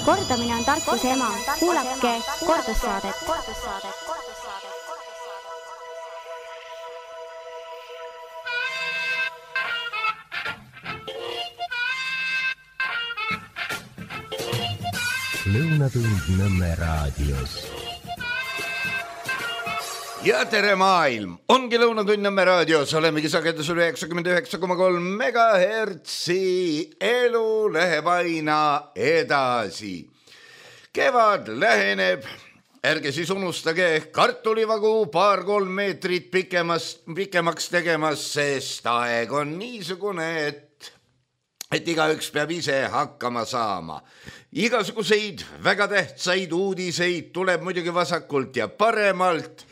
Kordamine on tarkuse ema. Kuulake kordussaadet. Lõunatund Nõmme raadios. Ja tere maailm! Ongi Lõunatund Nõmme raadios. Olemegi sagedusel 99,3 megahertsi. Elu läheb aina edasi. Kevad läheneb. Ärge siis unustage kartulivagu 2-3 meetrit pikemaks tegemas, sest aeg on niisugune, et igaüks peab ise hakkama saama. Igasuguseid väga tähtsaid uudiseid tuleb muidugi vasakult ja paremalt.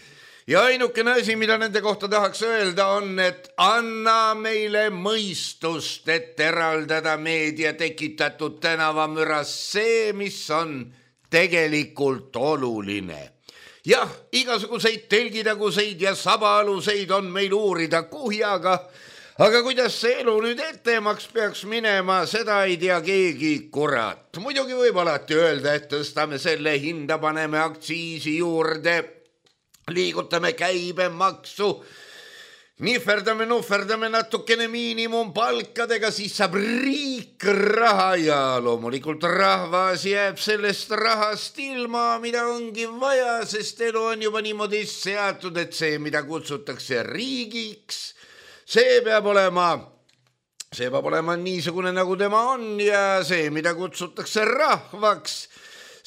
Ja ainukene asi, mida nende kohta tahaks öelda, on, et anna meile mõistust, et eraldada meedia tekitatud tänavamüras see, mis on tegelikult oluline. Jah, igasuguseid telgitaguseid ja sabaaluseid on meil uurida kuhjaga, aga kuidas see elu nüüd ettemaks peaks minema, seda ei tea keegi kurat. Muidugi võib alati öelda, et tõstame selle hinda, paneme aktsiisi juurde, liigutame käibemaksu, nuhverdame natukene miinimumpalkadega, siis saab riik raha ja loomulikult rahvas jääb sellest rahast ilma, mida ongi vaja, sest elu on juba niimoodi seatud, et see, mida kutsutakse riigiks, see peab olema niisugune, nagu tema on ja see, mida kutsutakse rahvaks,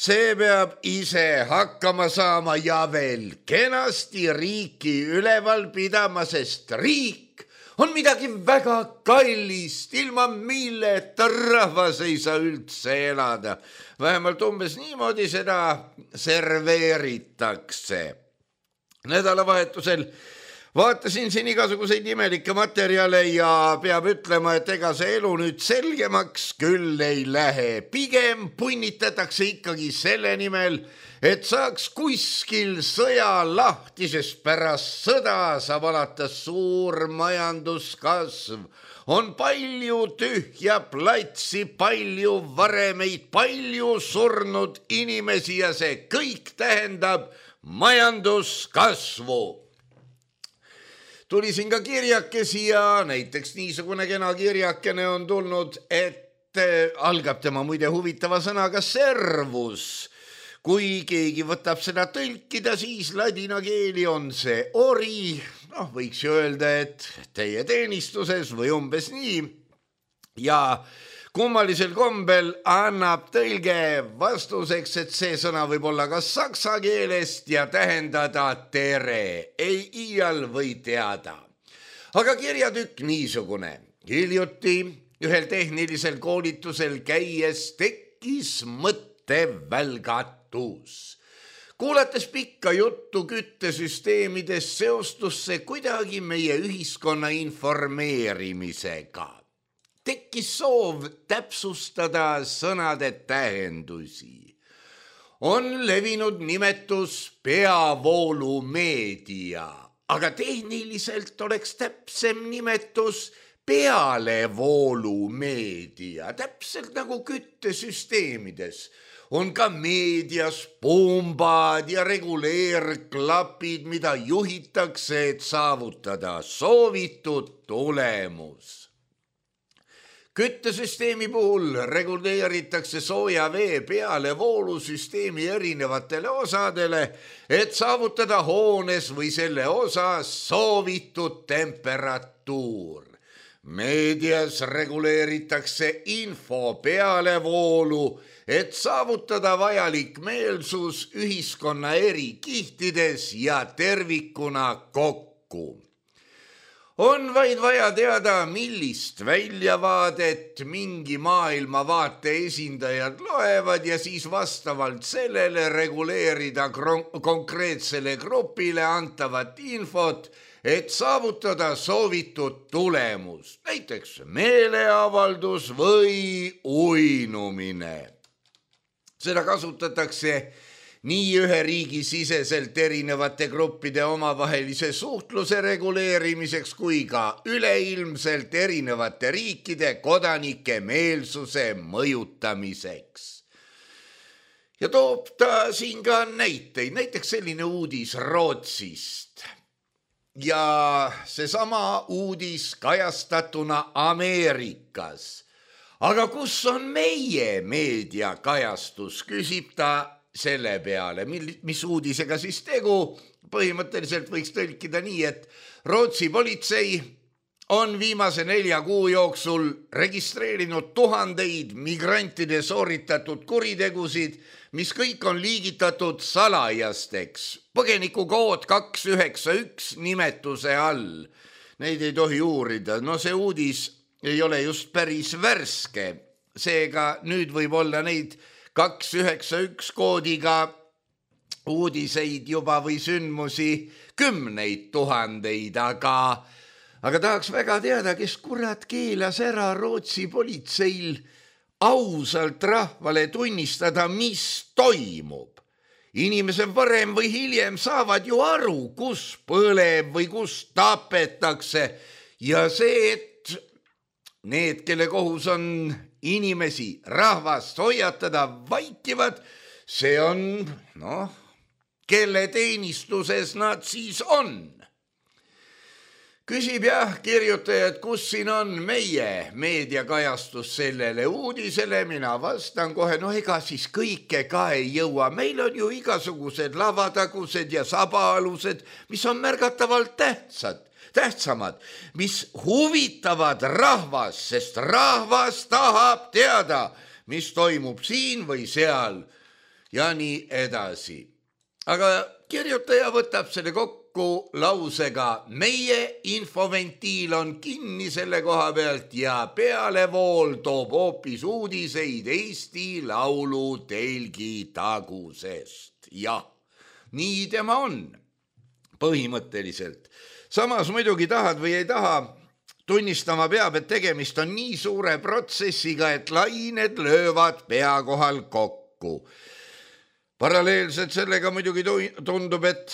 see peab ise hakkama saama ja veel kenasti riiki üleval pidama, sest riik on midagi väga kallist, ilma milleta rahvas ei saa üldse elada. Vähemalt umbes niimoodi seda serveeritakse. Nädalavahetusel vaatasin siin igasuguseid imelikke materjale ja peab ütlema, et ega see elu nüüd selgemaks küll ei lähe. Pigem punnitatakse ikkagi selle nimel, et saaks kuskil sõja lahti, sest pärast sõda saab alata suur majanduskasv. On palju tühja platsi, palju varemeid, palju surnud inimesi ja see kõik tähendab majanduskasvu. Tuli siin ka kirjakesi ja näiteks niisugune kena kirjakene on tulnud, et algab tema muide huvitava sõnaga servus. Kui keegi võtab seda tõlkida, siis ladina keeli on see ori. Võiks ju öelda, et teie teenistuses või umbes nii. Ja kummalisel kombel annab tõlge vastuseks, et see sõna võib olla ka saksa keelest ja tähendada tere, ei iial või teada. Aga kirjatükk niisugune. Hiljuti ühel tehnilisel koolitusel käies tekkis mõttevälgatus. Kuulates pikka juttu küttesüsteemidest seostus see kuidagi meie ühiskonna informeerimisega. Tekkis soov täpsustada sõnade tähendusi. On levinud nimetus peavoolumeedia, aga tehniliselt oleks täpsem nimetus pealevoolumeedia, täpselt nagu küttesüsteemides. On ka meedias pumbad ja reguleerklapid, mida juhitakse, et saavutada soovitud tulemus. Küttesüsteemi puhul reguleeritakse sooja vee pealevoolusüsteemi erinevatele osadele, et saavutada hoones või selle osas soovitud temperatuur. Meedias reguleeritakse info pealevoolu, et saavutada vajalik meelsus ühiskonna eri kihtides ja tervikuna kokku. On vaid vaja teada, millist väljavaadet mingi maailmavaate esindajad loevad ja siis vastavalt sellele reguleerida konkreetsele grupile antavat infot, et saavutada soovitud tulemus, näiteks meeleavaldus või uinumine. Seda kasutatakse nii ühe riigi siseselt erinevate gruppide omavahelise suhtluse reguleerimiseks kui ka üleilmselt erinevate riikide kodanike meelsuse mõjutamiseks. ja toob ta siin ka näiteid, näiteks selline uudis Rootsist. Ja seesama uudis kajastatuna Ameerikas. Aga kus on meie meediakajastus, küsib ta selle peale, mis uudisega siis tegu. Põhimõtteliselt võiks tõlkida nii, et Rootsi politsei on viimase 4 kuu jooksul registreerinud tuhandeid migrantide sooritatud kuritegusid, mis kõik on liigitatud salajasteks. Põgenikukood 291 nimetuse all. Neid ei tohi uurida. No see uudis ei ole just päris värske. Seega nüüd võib olla neid 291 koodiga uudiseid juba või sündmusi 10 000, aga tahaks väga teada, kes kurat keelas ära Rootsi politseil ausalt rahvale tunnistada, mis toimub. Inimesed varem või hiljem saavad ju aru, kus põleb või kus tapetakse ja see, et need, kelle kohus on inimesi, rahvast hoiatada, vaikivad, see on, kelle teenistuses nad siis on. Küsib kirjutaja, et kus siin on meie meediakajastus sellele uudisele, mina vastan kohe, ega siis kõike ka ei jõua. Meil on ju igasugused lavatagused ja sabaalused, mis on märgatavalt tähtsamad, mis huvitavad rahvas, sest rahvas tahab teada, mis toimub siin või seal ja nii edasi. Aga kirjutaja võtab selle kokku lausega, meie infoventiil on kinni selle koha pealt ja pealevool toob hoopis uudiseid Eesti Laulu telgi tagusest. Jah, nii tema on põhimõtteliselt. Samas muidugi tahad või ei taha, tunnistama peab, et tegemist on nii suure protsessiga, et lained löövad pea kohal kokku. Paralleelselt sellega muidugi tundub, et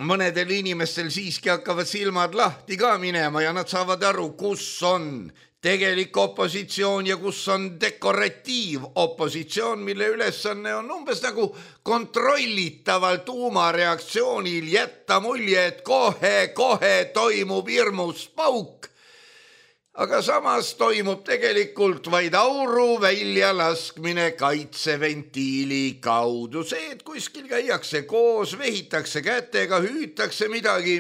mõnedel inimestel siiski hakkavad silmad lahti ka minema ja nad saavad aru, kus on tegelik opositsioon ja kus on dekoratiivopositsioon, mille ülesanne on umbes nagu kontrollitaval tuumareaktsioonil jätta mulje, et kohe toimub hirmus pauk. Aga samas toimub tegelikult vaid auru väljalaskmine kaitseventiili kaudu. See, et kuskil käiakse koos, vehitakse kätega, hüütakse midagi,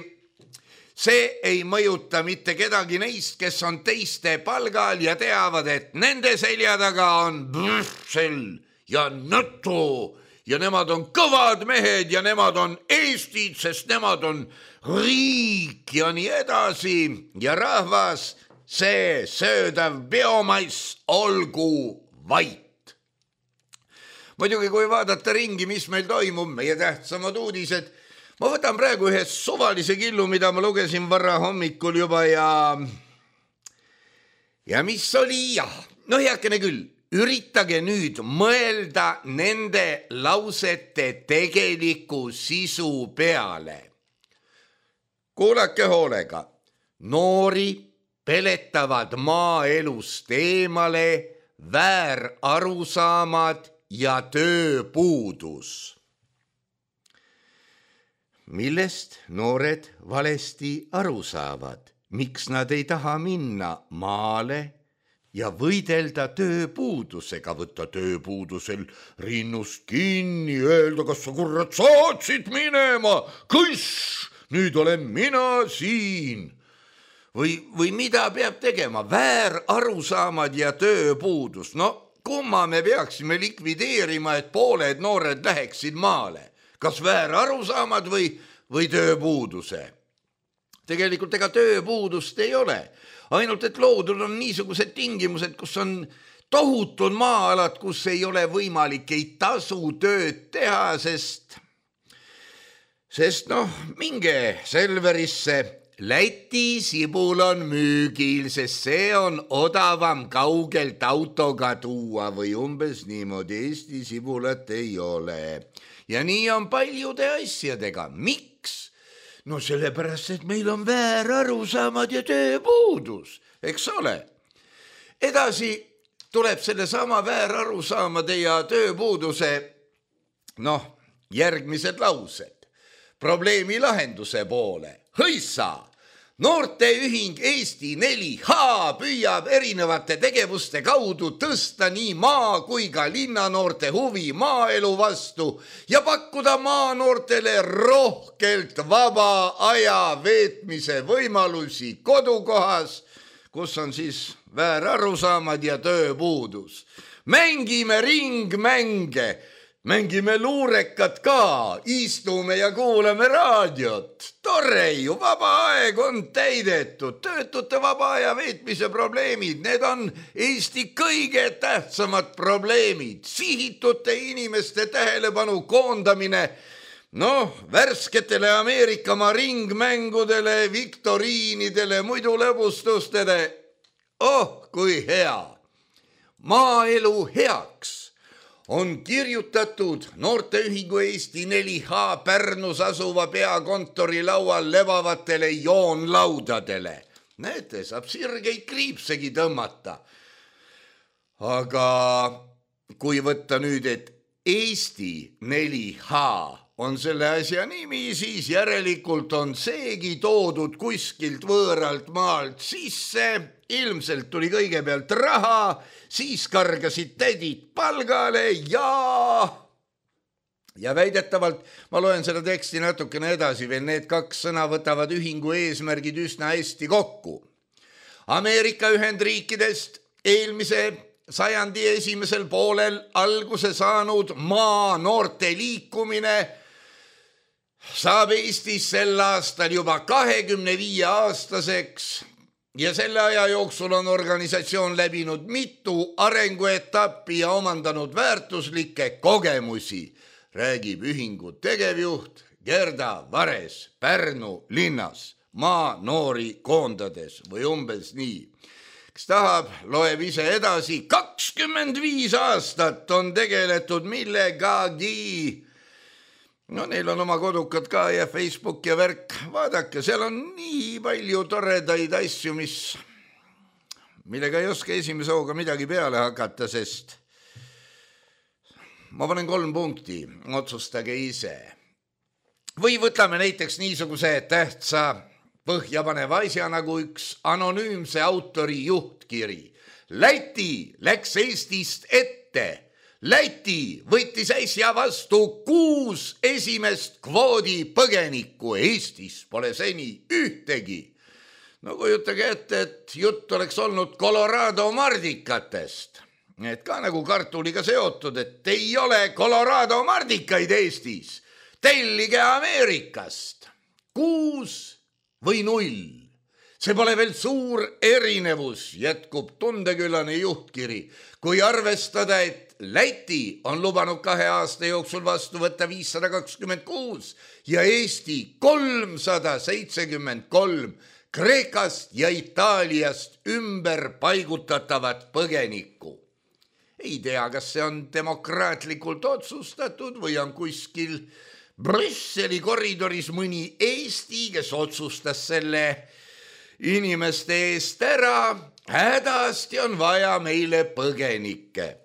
see ei mõjuta mitte kedagi neist, kes on teiste palgal ja teavad, et nende selja taga on Brüssel ja NATO ja nemad on kõvad mehed ja nemad on Eestid, sest nemad on riik ja nii edasi ja rahvas, see söödav biomass olgu vait. Muidugi, kui vaadata ringi, mis meil toimub, meie tähtsamad uudised, ma võtan praegu ühe suvalise killu, mida ma lugesin varra hommikul juba ja mis oli heakene küll, üritage nüüd mõelda nende lausete tegeliku sisu peale. Kuulake hoolega, noori peletavad maaelust eemale väärarusaamad ja tööpuudus. Millest noored valesti aru saavad? Miks nad ei taha minna maale ja võidelda tööpuudusega, võtta tööpuudusel rinnust kinni, öelda, kas sa kurat saatsid minema, kõss, nüüd olen mina siin. Või mida peab tegema? Väärarusaamad ja tööpuudus. Kumma me peaksime likvideerima, et pooled noored läheksid maale? Kas väärarusaamad või tööpuuduse? Tegelikult ega tööpuudust ei ole. Ainult, et loodud on niisugused tingimused, kus on tohutud maa-alad, kus ei ole võimalik ei tasu tööd teha, sest minge Selverisse, Läti sibul on müügil, sest see on odavam kaugelt autoga tuua või umbes niimoodi. Eesti sibulat ei ole. Ja nii on paljude asjadega. Miks? Sellepärast, et meil on väärarusaamad ja tööpuudus, eks ole. Edasi tuleb selle sama väärarusaamade ja tööpuuduse Noh, järgmised laused. Probleemi lahenduse poole. Hõissa! Noorteühing Eesti 4H püüab erinevate tegevuste kaudu tõsta nii maa kui ka linnanoorte huvi maaelu vastu ja pakkuda maanoortele rohkelt vaba aja veetmise võimalusi kodukohas, kus on siis väärarusaamad ja tööpuudus. Mängime ringmänge, mängime luurekat ka, istume ja kuulame raadiot. Tore ju, vaba aeg on täidetud, töötute vaba aja veetmise probleemid, need on Eesti kõige tähtsamad probleemid. Sihitute inimeste tähelepanu koondamine, värsketele Ameerikamaa ringmängudele, viktoriinidele, muidu lõbustustele. Oh, kui hea! Maaelu heaks on kirjutatud Noorteühingu Eesti 4H Pärnus asuva peakontori laual levavatele joonlaudadele. Näete, saab sirgeid kriipsegi tõmmata. Aga kui võtta nüüd, et Eesti 4H on selle asja nimi, siis järelikult on seegi toodud kuskilt võõralt maalt sisse. Ilmselt tuli kõigepealt raha, siis kargasid tädid palgale ja väidetavalt, ma loen seda teksti natukene edasi, veel need kaks sõna võtavad ühingu eesmärgid üsna hästi kokku. Ameerika Ühendriikidest eelmise sajandi esimesel poolel alguse saanud maanoorte liikumine saab Eestis sel aastal juba 25-aastaseks ja selle aja jooksul on organisatsioon läbinud mitu arenguetappi ja omandanud väärtuslikke kogemusi, räägib ühingu tegevjuht Gerda Vares Pärnu linnas maanoori koondades või umbes nii. Kes tahab, loeb ise edasi. 25 aastat on tegeletud millegagi. Neil on oma kodukad ka ja Facebook ja värk. Vaadake, seal on nii palju toredaid asju, millega ei oska esimese hooga midagi peale hakata, sest ma panen 3 punkti, otsustage ise. Või võtame näiteks niisuguse tähtsa põhjapaneva asja nagu üks anonüümse autori juhtkiri. Läti läks Eestist ette. Läti võttis äsja vastu 6 esimest kvoodi põgenikku. Eestis pole seni ühtegi. Kujutage ette, et jutt oleks olnud Colorado mardikatest. Et ka nagu kartuliga seotud, et ei ole Colorado mardikaid Eestis. Tellige Ameerikast. 6 või 0. See pole veel suur erinevus, jätkub tundeküllane juhtkiri. Kui arvestada, et Läti on lubanud 2 aasta jooksul vastu võtta 526 ja Eesti 373 Kreekast ja Itaaliast ümber paigutatavat põgenikku. Ei tea, kas see on demokraatlikult otsustatud või on kuskil Brüsseli koridoris mõni Eesti, kes otsustas selle inimeste eest ära. Hädasti on vaja meile põgenikke.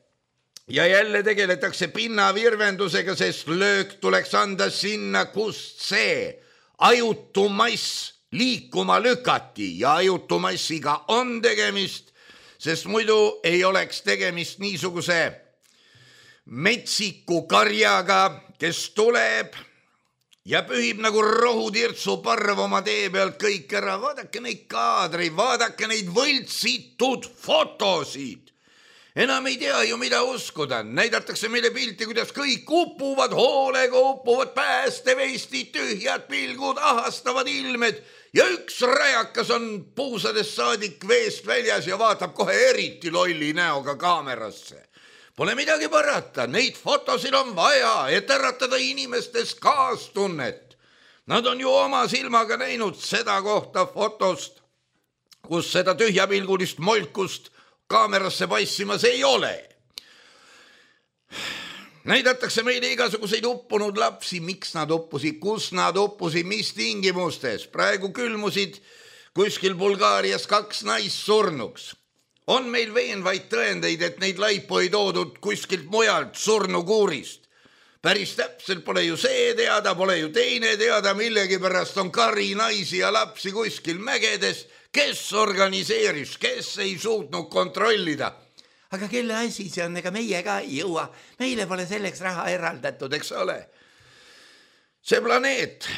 Ja jälle tegeletakse pinnavirvendusega, sest löök tuleks anda sinna, kust see ajutu mass liikuma lükati ja ajutu massiga on tegemist, sest muidu ei oleks tegemist niisuguse metsiku karjaga, kes tuleb ja pühib nagu rohutirtsu parv oma tee pealt kõik ära. Vaadake neid kaadreid, vaadake neid võltsitud fotosid. Enam ei tea ju, mida uskuda. Näidatakse meile pilti, kuidas kõik upuvad, hoolega upuvad päästevestid, tühjad pilgud, ahastavad ilmed ja üks rajakas on puusadest saadik veest väljas ja vaatab kohe eriti lolli näoga kaamerasse. Pole midagi parata, neid fotosid on vaja, et äratada inimestes kaastunnet. Nad on ju oma silmaga näinud seda kohta fotost, kus seda tühjapilgulist molkust kaamerasse passimas ei ole. Näidatakse meile igasuguseid uppunud lapsi, miks nad uppusid, kus nad uppusid, mis tingimustes. Praegu külmusid kuskil Bulgaarias 2 naist surnuks. On meil veenvaid tõendeid, et neid laipu ei toodud kuskilt mujalt surnukuurist. Päris täpselt pole ju see teada, pole ju teine teada, millegi pärast on kari naisi ja lapsi kuskil mägedes. Kes organiseeris, kes ei suutnud kontrollida? Aga kelle asi see on, ega meie ka ei jõua. Meile pole selleks raha eraldatud, eks ole. See planeet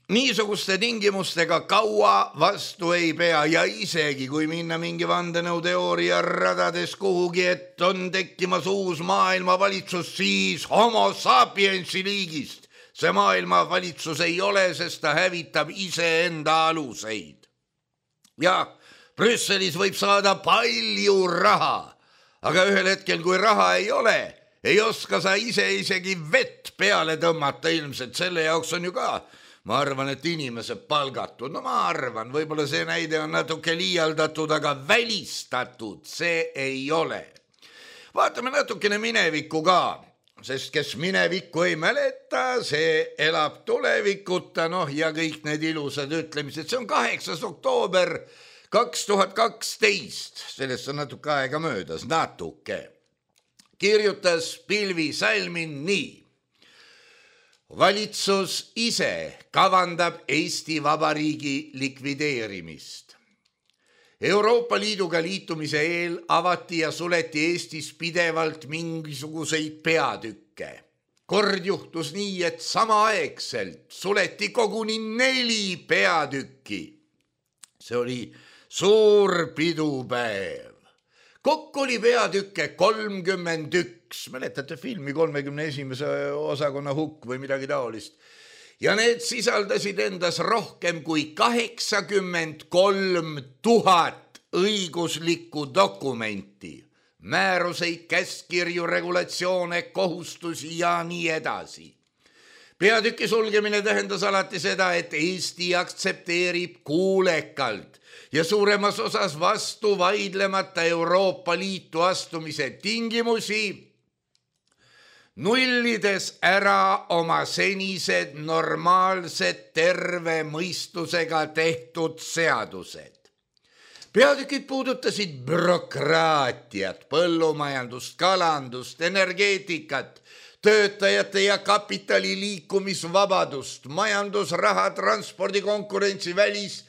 niisuguste tingimustega kaua vastu ei pea ja isegi kui minna mingi vandenõuteooria radades kuhugi, et on tekkimas uus maailmavalitsus, siis homo sapiensi liigist. See maailmavalitsus ei ole, sest ta hävitab iseenda aluseid. Ja Brüsselis võib saada palju raha, aga ühel hetkel, kui raha ei ole, ei oska sa ise isegi vett peale tõmmata ilmselt. Selle jaoks on ju ka, ma arvan, et inimesed palgatud. No ma arvan, võib-olla see näide on natuke liialdatud, aga välistatud see ei ole. Vaatame natukene minevikku ka, sest kes minevikku ei mäleta, see elab tulevikuta, ja kõik need ilusad ütlemised. See on 8. oktoober 2012, sellest on natuke aega möödas, natuke. Kirjutas Pilvi Salmin nii. Valitsus ise kavandab Eesti Vabariigi likvideerimist. Euroopa Liiduga liitumise eel avati ja suleti Eestis pidevalt mingisuguseid peatükke. Kord juhtus nii, et samaaegselt suleti koguni 4 peatükki. See oli suur pidupäev. Kokku oli peatükke 31. Mäletate filmi 31. osakonna hukk või midagi taolist. Ja need sisaldasid endas rohkem kui 83 000 õiguslikku dokumenti, määruseid, käskirju, regulatsioone, kohustusi ja nii edasi. Peatüki sulgemine tähendas alati seda, et Eesti aktsepteerib kuulekalt ja suuremas osas vastu vaidlemata Euroopa Liitu astumise tingimusi, nullides ära oma senised normaalsed terve mõistusega tehtud seadused. Peatükid puudutasid bürokraatiat, põllumajandust, kalandust, energeetikat, töötajate ja kapitali liikumisvabadust, majandusraha, transpordi, konkurentsi, välis-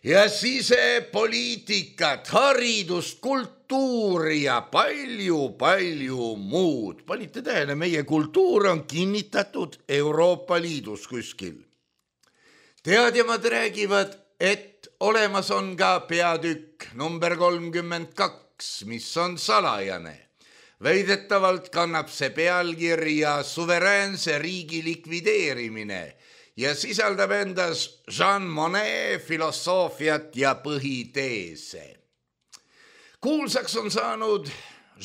ja sisepoliitikat, haridust, kultuuri ja palju muud. Panite tähele, meie kultuur on kinnitatud Euroopa Liidus kuskil. Teadjamad räägivad, et olemas on ka peatükk number 32, mis on salajane. Väidetavalt kannab see pealkirja Suveräänse riigi likvideerimine ja sisaldab endas Jean Monnet filosoofiat ja põhiteese. Kuulsaks on saanud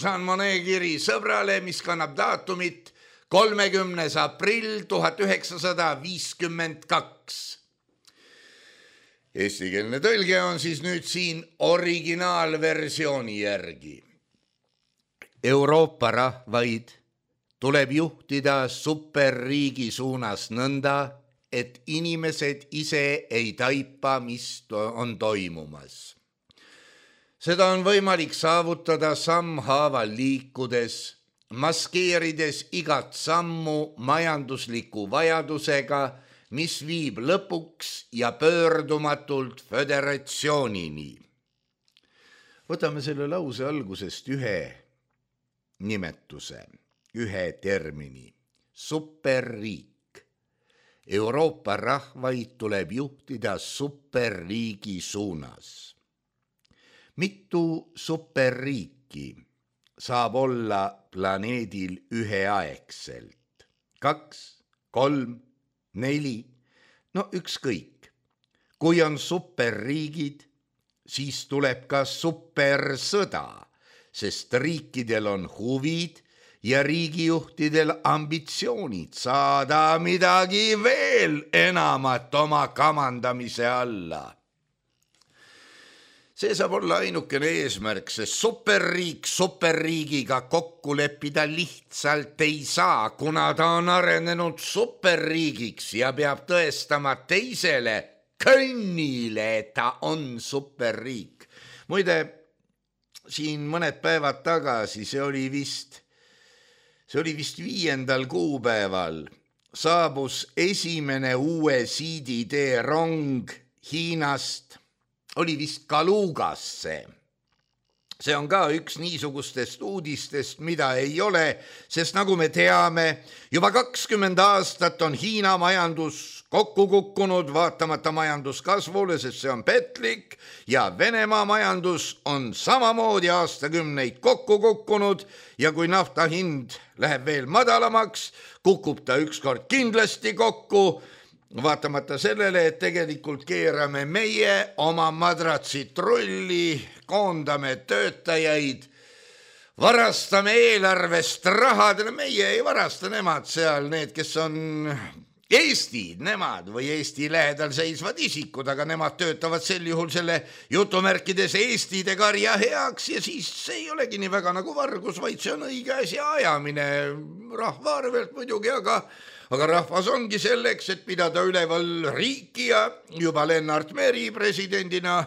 Jean Monnet kiri sõbrale, mis kannab daatumit 30. aprill 1952. Eestikeelne tõlge on siis nüüd siin originaalversiooni järgi. Euroopa rahvaid tuleb juhtida superriigi suunas nõnda, et inimesed ise ei taipa, mis on toimumas. Seda on võimalik saavutada sammhaaval liikudes, maskeerides igat sammu majandusliku vajadusega, mis viib lõpuks ja pöördumatult föderatsioonini. Võtame selle lause algusest ühe nimetuse, ühe termini, superriik. Euroopa rahvaid tuleb juhtida superriigi suunas. Mitu superriiki saab olla planeedil üheaegselt? 2, 3, 4, no ükskõik. Kui on superriigid, siis tuleb ka supersõda, sest riikidel on huvid ja riigijuhtidel ambitsioonid saada midagi veel enamat oma kamandamise alla. See saab olla ainukene eesmärk, sest superriik superriigiga kokku leppida lihtsalt ei saa, kuna ta on arenenud superriigiks ja peab tõestama teisele könnile, et ta on superriik. Muide, siin mõned päevad tagasi, see oli vist see oli vist 5. kuupäeval, saabus esimene uue siiditee rong Hiinast, oli vist Kalugasse. See on ka üks niisugustest uudistest, mida ei ole, sest nagu me teame, juba 20 aastat on Hiina majandus kokku kukkunud vaatamata majanduskasvule, sest see on petlik, ja Venemaa majandus on samamoodi aastakümneid kokku kukkunud ja kui nafta hind läheb veel madalamaks, kukub ta ükskord kindlasti kokku, vaatamata sellele, et tegelikult keerame meie oma madratsid rulli, koondame töötajaid, varastame eelarvest rahad, meie ei varasta, nemad seal, need, kes on Eesti, nemad või Eesti lähedal seisvad isikud, aga nemad töötavad sel juhul selle jutumärkides Eestide karja heaks ja siis see ei olegi nii väga nagu vargus, vaid see on õige asja ajamine rahva arvelt muidugi, aga rahvas ongi selleks, et pidada üleval riiki ja juba Lennart Meri presidendina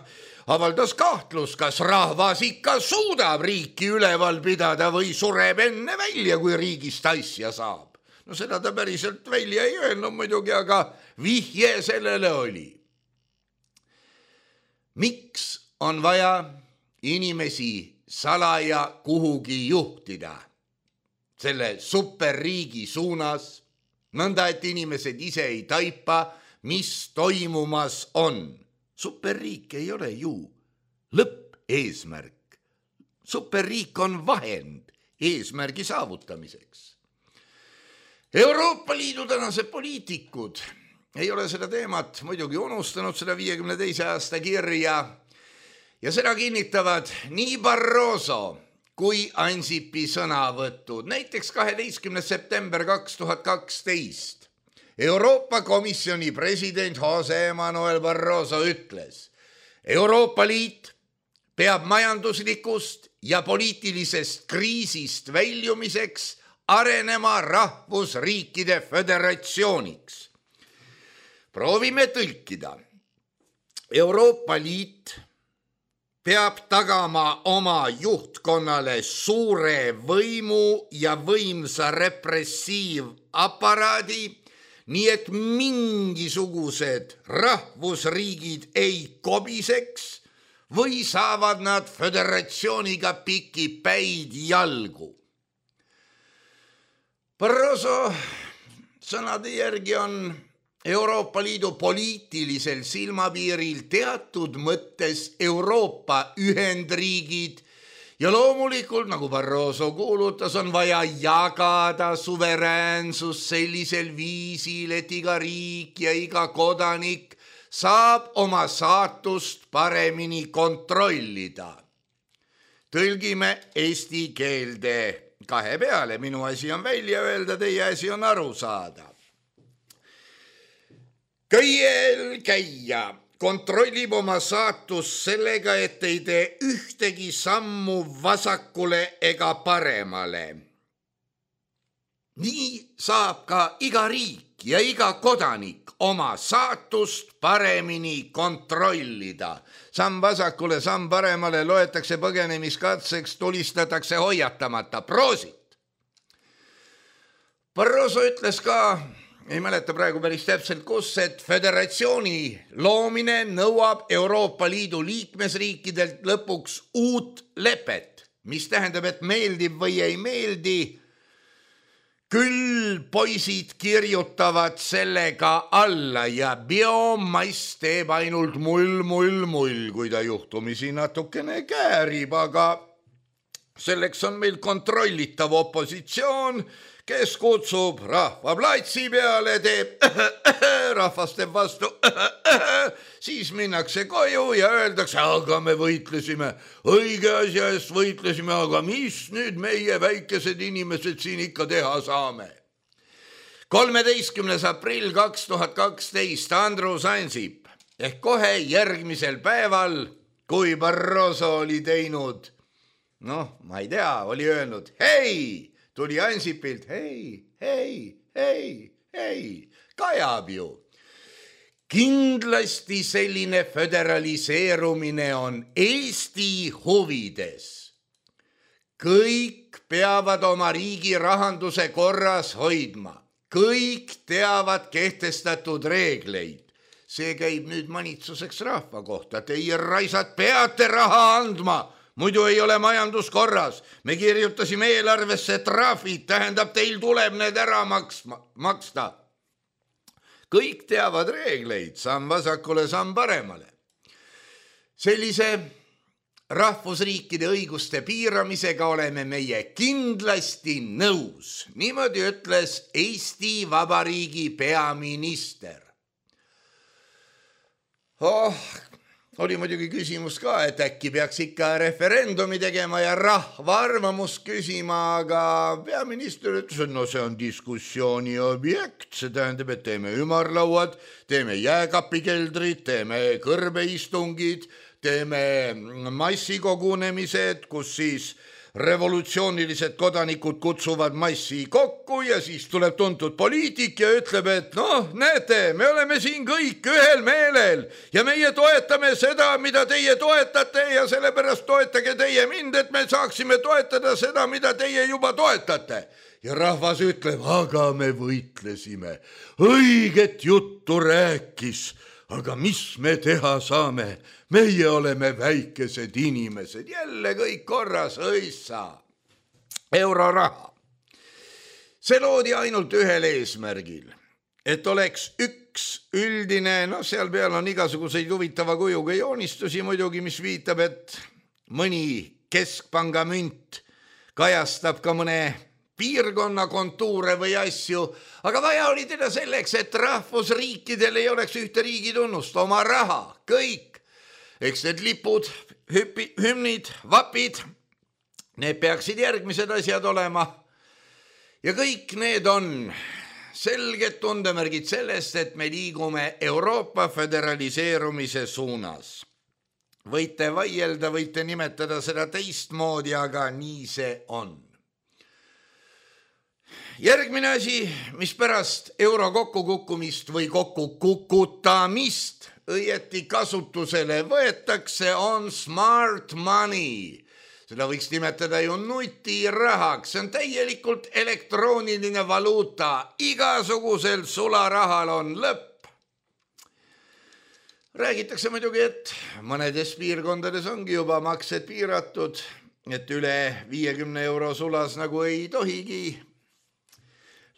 avaldas kahtlus, kas rahvas ikka suudab riiki üleval pidada või sureb enne välja, kui riigist asja saab. No seda ta päriselt välja ei öelnud muidugi, aga vihje sellele oli. Miks on vaja inimesi salaja kuhugi juhtida selle superriigi suunas, nõnda et inimesed ise ei taipa, mis toimumas on? Superriik ei ole ju lõppeesmärk. Superriik on vahend eesmärgi saavutamiseks. Euroopa Liidu tänased poliitikud ei ole seda teemat muidugi unustanud, seda 52. aasta kirja, ja seda kinnitavad nii Barroso kui Ansipi sõnavõtud. Näiteks 12. september 2012 Euroopa Komisjoni president Jose Manuel Barroso ütles, Euroopa Liit peab majanduslikust ja poliitilisest kriisist väljumiseks arenema rahvusriikide föderatsiooniks. Proovime tõlkida. Euroopa Liit peab tagama oma juhtkonnale suure võimu ja võimsa repressiivaparaadi, nii et mingisugused rahvusriigid ei kobiseks või saavad nad föderatsiooniga pikipäid jalgu. Barroso sõnade järgi on Euroopa Liidu poliitilisel silmapiiril teatud mõttes Euroopa ühendriigid ja loomulikult, nagu Barroso kuulutas, on vaja jagada suveräänsus sellisel viisil, et iga riik ja iga kodanik saab oma saatust paremini kontrollida. Tõlgime eesti keelde kahe peale, minu asi on välja öelda, teie asi on aru saada. Köiel käia kontrollib oma saatust sellega, et ei tee ühtegi sammu vasakule ega paremale. Nii saab ka iga riik ja iga kodanik oma saatust paremini kontrollida. Samm vasakule, samm paremale loetakse põgenemiskatseks, tulistatakse hoiatamata. Proosit! Barroso ütles ka, ei mäleta praegu päris täpselt kus, et föderatsiooni loomine nõuab Euroopa Liidu liikmesriikidelt lõpuks uut lepet, mis tähendab, et meeldib või ei meeldi, küll poisid kirjutavad sellega alla ja biomass teeb ainult mull, kui ta juhtumisi natukene käärib, aga selleks on meil kontrollitav opositsioon, kes kutsub rahva platsi peale, teeb rahvas teeb vastu, siis minnakse koju ja öeldakse, aga me võitlesime, õige asja eest võitlesime, aga mis nüüd meie väikesed inimesed siin ikka teha saame? 13. aprill 2012 Andrus Ansip ehk kohe järgmisel päeval, kui Barroso oli teinud, ma ei tea, oli öelnud, hei, tuli Ansipilt, hei, kajab ju. Kindlasti selline föderaliseerumine on Eesti huvides. Kõik peavad oma riigi rahanduse korras hoidma. Kõik teavad kehtestatud reegleid. See käib nüüd manitsuseks rahva kohta. Teie raisad peate raha andma, muidu ei ole majandus korras. Me kirjutasime eelarvesse trahvid, tähendab teil tuleb need ära maksta. Kõik teavad reegleid, samm vasakule, samm paremale. Sellise rahvusriikide õiguste piiramisega oleme meie kindlasti nõus. Niimoodi ütles Eesti Vabariigi peaminister. Oli muidugi küsimus ka, et äkki peaks ikka referendumi tegema ja rahva arvamust küsima, aga peaminister ütles, et no see on diskussiooni objekt, see tähendab, et teeme ümarlauad, teeme jääkapikeldrid, teeme kõrbeistungid, teeme massikogunemised, kus siis revolutsioonilised kodanikud kutsuvad massi kokku ja siis tuleb tuntud poliitik ja ütleb, et noh, näete, me oleme siin kõik ühel meelel ja meie toetame seda, mida teie toetate ja sellepärast toetage teie mind, et me saaksime toetada seda, mida teie juba toetate. Ja rahvas ütleb, aga me võitlesime, õiget juttu rääkis, aga mis me teha saame? Meie oleme väikesed inimesed, jälle kõik korras, õissa, euroraha. See loodi ainult ühel eesmärgil, et oleks üks üldine, seal peal on igasuguseid huvitava kujuga joonistusi muidugi, mis viitab, et mõni keskpanga münt kajastab ka mõne piirkonna kontuure või asju, aga vaja oli teda selleks, et rahvusriikidel ei oleks ühte riigi tunnust, oma raha, kõik. Eks need lipud, hümnid, vapid, need peaksid järgmised asjad olema. Ja kõik need on selged tundemärgid sellest, et me liigume Euroopa föderaliseerumise suunas. Võite vaielda, võite nimetada seda teistmoodi, aga nii see on. Järgmine asi, mis pärast euro kokkukukkumist või kokkukukutamist õieti kasutusele võetakse, on smart money. Seda võiks nimetada ju nutirahaks. See on täielikult elektrooniline valuuta. Igasugusel sularahal on lõpp. Räägitakse muidugi, et mõnedes piirkondades ongi juba maksed piiratud, et üle 50 euro sulas nagu ei tohigi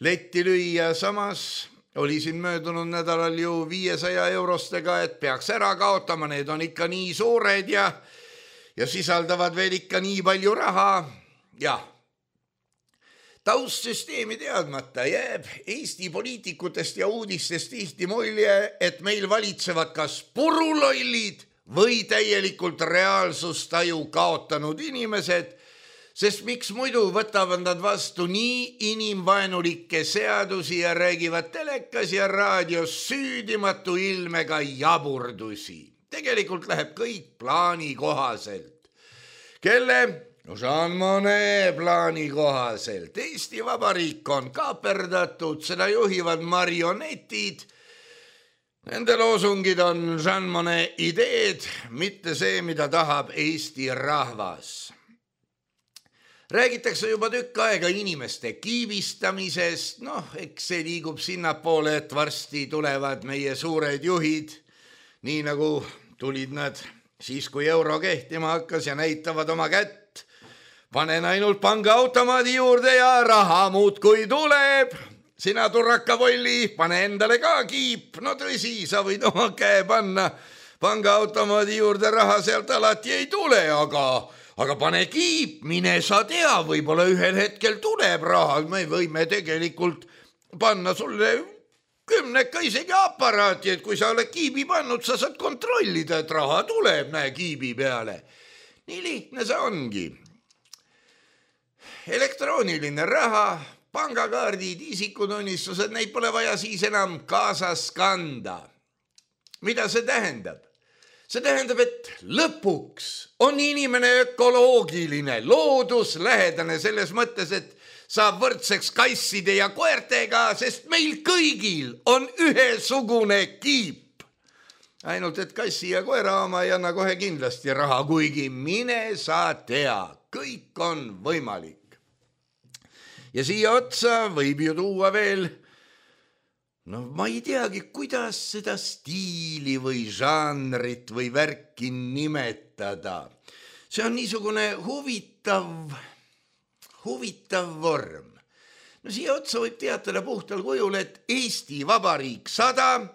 letti lüüa. Samas oli siin möödunud nädalal ju 500 eurostega, et peaks ära kaotama, need on ikka nii suured ja sisaldavad veel ikka nii palju raha. Ja taustsüsteemi teadmata jääb Eesti poliitikutest ja uudistest tihti mulje, et meil valitsevad kas purulollid või täielikult reaalsustaju kaotanud inimesed, sest miks muidu võtavad nad vastu nii inimvaenulikke seadusi ja räägivad telekas ja raadios süüdimatu ilmega jaburdusi. Tegelikult läheb kõik plaani kohaselt. Kelle? Jean Monnet plaani kohaselt. Eesti Vabariik on kaaperdatud, seda juhivad marionetid. Nende loosungid on Jean Monnet ideed, mitte see, mida tahab Eesti rahvas. Räägitakse juba tükk aega inimeste kiibistamisest, eks see liigub sinnapoole, et varsti tulevad meie suured juhid, nii nagu tulid nad siis, kui euro kehtima hakkas ja näitavad oma kätt. Panen ainult pangaautomaadi juurde ja raha muudkui tuleb. Sina turrakavolli, pane endale ka kiip. No tõsi, sa võid oma käe panna pangaautomaadi juurde, raha sealt alati ei tule, aga pane kiip, mine sa tea, võib-olla ühel hetkel tuleb raha. Me võime tegelikult panna sulle 10 isegi aparaati, et kui sa oled kiibi pannud, sa saad kontrollida, et raha tuleb, näe kiibi peale. Nii lihtne see ongi. Elektrooniline raha, pangakaardid, isikutunnistused, neid pole vaja siis enam kaasas kanda. Mida see tähendab? See tähendab, et lõpuks on inimene ökoloogiline, looduslähedane selles mõttes, et saab võrdseks kasside ja koertega, sest meil kõigil on ühesugune kiip. Ainult, et kassi ja koera oma ei anna kohe kindlasti raha, kuigi mine sa tea, kõik on võimalik. ja siia otsa võib ju tuua veel, no ma ei teagi, kuidas seda stiili või žanrit või värki nimetada. See on niisugune huvitav vorm. No siia otsa võib teatada puhtal kujul, et Eesti Vabariik 100,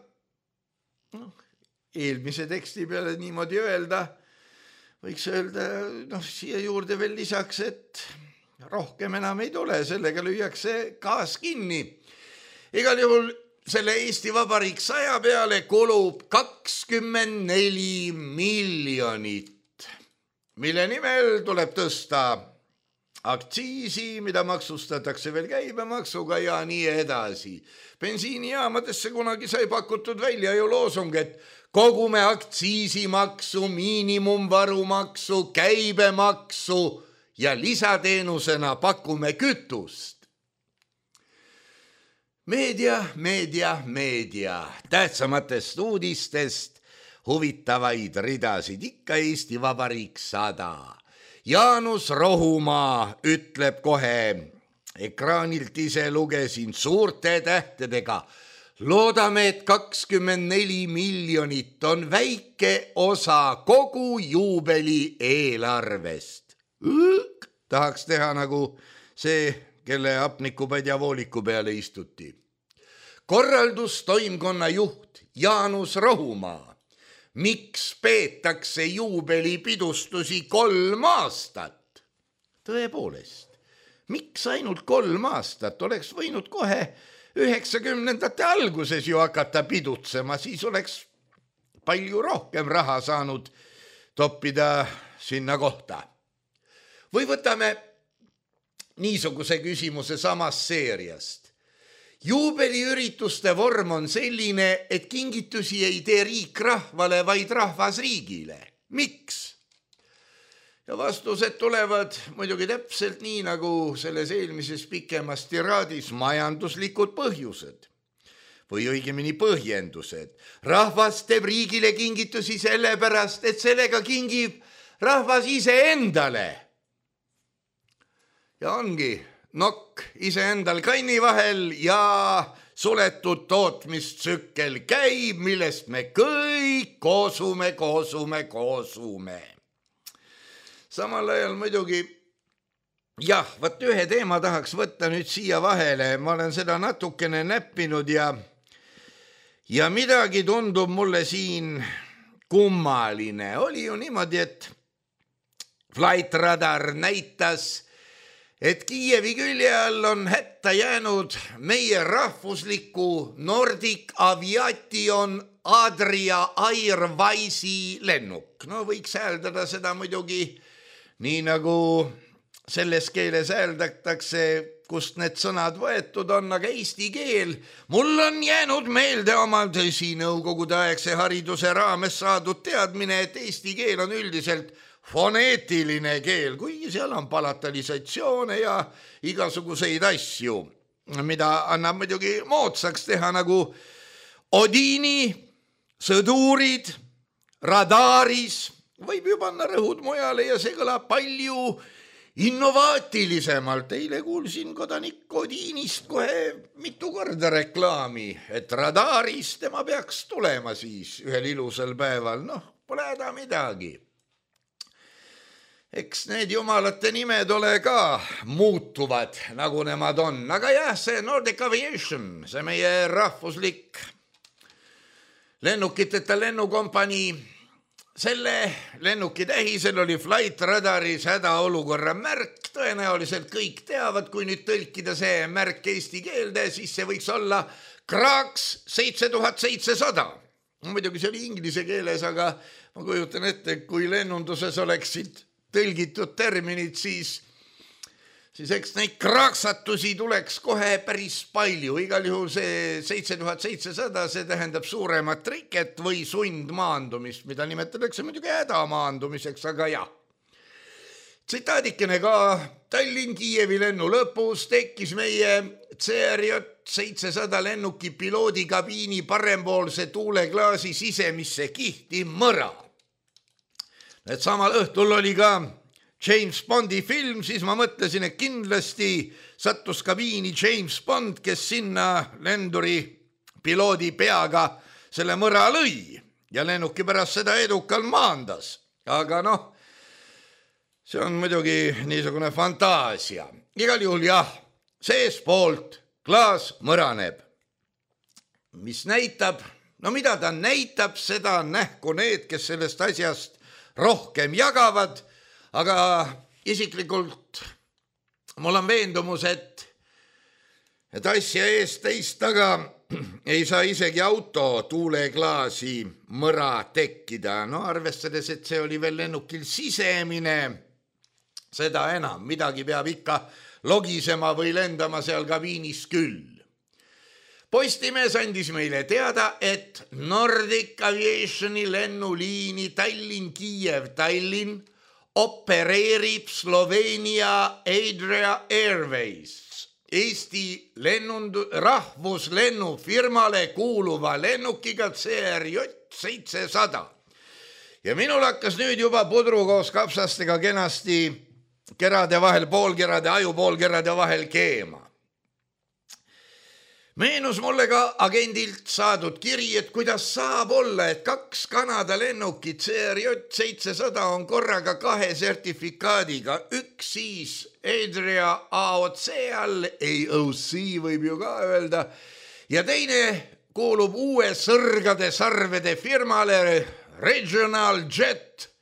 eelmise teksti peale niimoodi öelda, võiks öelda, siia juurde veel lisaks, et rohkem enam ei tule, sellega lüüakse gaas kinni. Igal juhul selle Eesti Vabariik 100 peale kulub 24 miljonit, mille nimel tuleb tõsta aktsiisi, mida maksustatakse veel käibemaksuga ja nii edasi. Bensiinijaamadesse kunagi sai pakutud välja ju loosung, et kogume aktsiisimaksu, miinimumvarumaksu, käibemaksu ja lisateenusena pakume kütust. Meedia. Tähtsamatest uudistest huvitavaid ridasid ikka Eesti Vabariik 100. Jaanus Rohumaa ütleb kohe, ekraanilt ise lugesin suurte tähtedega. Loodame, et 24 miljonit on väike osa kogu juubeli eelarvest. Tahaks teha nagu see, kelle hapnikupadja vooliku peale istuti. Korraldustoimkonna juht Jaanus Rohumaa. Miks peetakse juubelipidustusi 3 aastat? Tõepoolest, miks ainult 3 aastat? Oleks võinud kohe 90ndate alguses ju hakata pidutsema, siis oleks palju rohkem raha saanud toppida sinna kohta. Või võtame niisuguse küsimuse samast seeriast. Juubeliürituste vorm on selline, et kingitusi ei tee riik rahvale, vaid rahvas riigile. Miks? Ja vastused tulevad muidugi täpselt nii, nagu selles eelmises pikemas tiraadis majanduslikud põhjused. Või õigemini põhjendused. Rahvas teeb riigile kingitusi sellepärast, et sellega kingib rahvas ise endale. Ja ongi nokk iseendal kanni vahel ja suletud tootmistsükkel käib, millest me kõik koosume. Samal ajal muidugi, võt ühe teema tahaks võtta nüüd siia vahele. Ma olen seda natukene näppinud ja midagi tundub mulle siin kummaline. Oli ju niimoodi, et Flight Radar näitas, et Kiievi külje all on hätta jäänud meie rahvusliku Nordic Aviation Adria Airwise'i lennuk. No võiks hääldada seda muidugi nii nagu selles keeles hääldatakse, kust need sõnad võetud on, aga eesti keel. Mul on jäänud meelde oma nõukogude aegse hariduse raames saadud teadmine, et eesti keel on üldiselt foneetiline keel, kuigi seal on palatalisatsioone ja igasuguseid asju, mida annab muidugi moodsaks teha nagu Odini, sõdurid, radaris, võib ju panna rõhud mujale ja see kõlab palju innovaatilisemalt. Eile kuulsin kodanik Odinist kohe mitu korda reklaami, et radaris tema peaks tulema siis ühel ilusal päeval. Pole häda midagi. Eks need jumalate nimed ole ka muutuvad, nagu nemad on. Aga see Nordic Aviation, see meie rahvuslik lennukiteta lennukompanii, selle lennuki tähisel oli Flight Radaris hädaolukorra märk. Tõenäoliselt kõik teavad, kui nüüd tõlkida see märk eesti keelde, siis see võiks olla Kraks 7700. Muidugi see oli inglise keeles, aga ma kujutan ette, kui lennunduses oleksid tõlgitud terminid, siis eks neid kraaksatusi tuleks kohe päris palju. Igal juhul see 7700, see tähendab suuremat triket või sundmaandumist, mida nimetatakse muidugi hädamaandumiseks, aga Tsitaadikene ka Tallinn-Kiievi lennu lõpus tekkis meie CRJ 700 lennuki piloodikabiini parempoolse tuuleklaasi sisemisse kihti mõra. Et samal õhtul oli ka James Bondi film, siis ma mõtlesin, et kindlasti sattus kabiini James Bond, kes sinna lenduri piloodi peaga selle mõra lõi ja lennuki pärast seda edukalt maandas. Aga noh, see on muidugi niisugune fantaasia. Igal juhul jah, seespoolt klaas mõraneb. Mis näitab? No mida ta näitab, seda nähku need, kes sellest asjast rohkem jagavad, aga isiklikult mul on veendumus, et asja eest teist taga ei saa isegi auto tuuleklaasi mõra tekkida. No arvestades, et see oli veel lennukil sisemine, seda enam, midagi peab ikka logisema või lendama seal kabiinis küll. Postimees andis meile teada, et Nordic Aviationi lennuliini Tallinn-Kiiev-Tallinn opereerib Sloveenia Adria Airways, Eesti rahvuslennufirmale kuuluva lennukiga CRJ 700. Ja minul hakkas nüüd juba pudru koos kapsastega kenasti kerade vahel, poolkerade, ajupoolkerade vahel keema. Meenus mulle ka agendilt saadud kiri, et kuidas saab olla, et 2 Kanada lennukit CRJ 700 on korraga 2 sertifikaadiga, üks siis Adria AOC all, AOC võib ju ka öelda, ja teine kuulub uue sõrgade sarvede firmale Regional Jet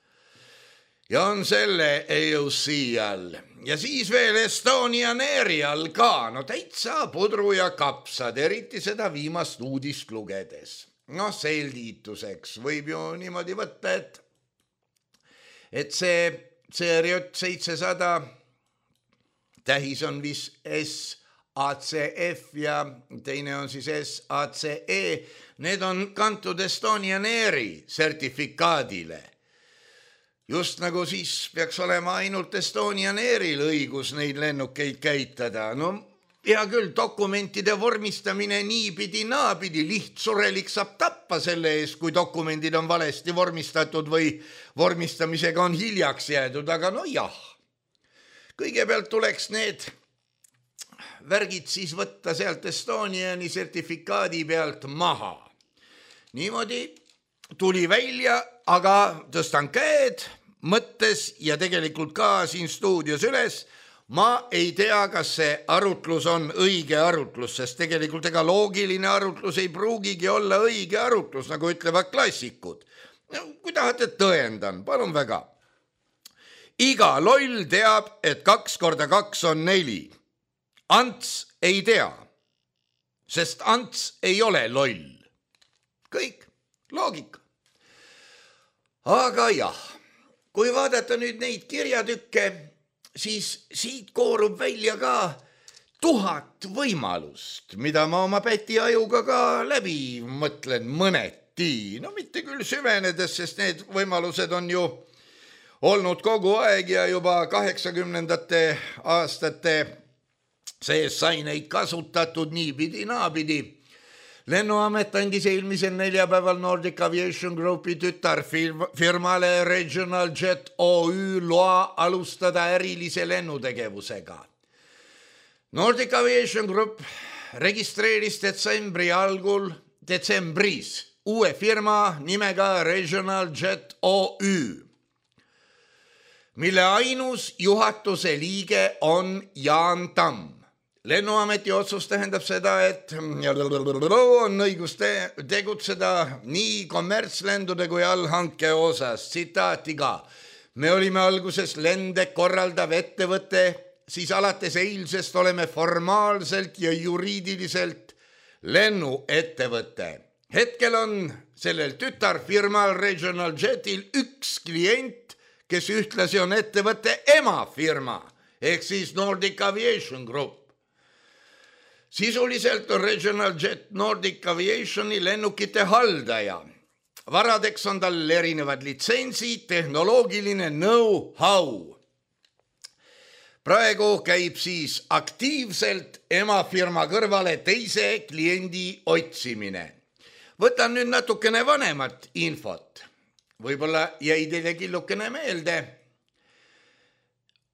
ja on selle AOC all. Ja siis veel Estonian Airi all ka, no täitsa pudru ja kapsad, eriti seda viimast uudist lugedes. No selgituseks võib ju niimoodi võtta, et see CRJ 700 tähis on vist SACF ja teine on siis SACE. Need on kantud Estonian Airi sertifikaadile. Just nagu siis peaks olema ainult Estonian Airil õigus neid lennukeid käitada. No hea küll, dokumentide vormistamine niipidi naapidi, lihtsurelik saab tappa selle eest, kui dokumendid on valesti vormistatud või vormistamisega on hiljaks jäädud, aga no jah. Kõigepealt tuleks need värgid siis võtta sealt Estoniani sertifikaadi pealt maha. Niimoodi tuli välja, aga tõstan käed mõttes ja tegelikult ka siin stuudios üles. Ma ei tea, kas see arutlus on õige arutlus, sest tegelikult ega loogiline arutlus ei pruugigi olla õige arutlus, nagu ütlevad klassikud. Kui tahate tõendan, palun väga. Iga loll teab, et 2 × 2 on 4. Ants ei tea, sest Ants ei ole loll. Kõik, loogika. Aga jah, kui vaadata nüüd neid kirjatükke, siis siit koorub välja ka 1000 võimalust, mida ma oma pätiajuga ka läbi mõtlen mõneti. No mitte küll süvenedes, sest need võimalused on ju olnud kogu aeg ja juba 80ndate aastate sees sai neid kasutatud niipidi naapidi. Lennuamet andis eelmisel neljapäeval Nordic Aviation Groupi tütarfirmale Regional Jet OÜ loa alustada ärilise lennutegevusega. Nordic Aviation Group registreeris detsembris uue firma nimega Regional Jet OÜ, mille ainus juhatuse liige on Jaan Tamm. Lennuameti otsus tähendab seda, et on õigus tegutseda nii kommertslendude kui allhanke osas. Tsitaati ka. Me olime alguses lende korraldav ettevõte, siis alates eilsest oleme formaalselt ja juriidiliselt lennuettevõte. Hetkel on sellel tütarfirmal Regional Jetil üks klient, kes ühtlasi on ettevõtte emafirma, ehk siis Nordic Aviation Group. Sisuliselt on Regional Jet Nordic Aviationi lennukite haldaja. Varadeks on tal erinevad litsentsid, tehnoloogiline know-how. Praegu käib siis aktiivselt emafirma kõrvale teise kliendi otsimine. Võtan nüüd natukene vanemat infot. Võib-olla jäi teile killukene meelde.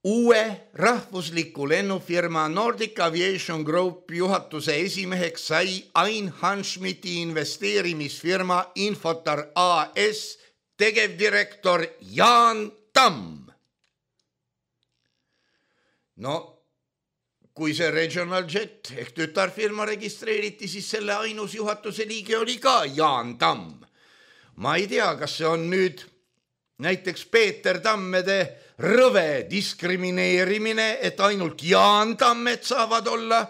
uue rahvusliku lennufirma Nordic Aviation Group juhatuse esimeheks sai Ain Hanschmidti investeerimisfirma Infotar AS tegevdirektor Jaan Tamm. No, kui see Regional Jet ehk tütarfirma registreeriti, siis selle ainus juhatuse liige oli ka Jaan Tamm. Ma ei tea, kas see on nüüd näiteks Peeter Tammede rõve diskrimineerimine, et ainult Jaan Tammed saavad olla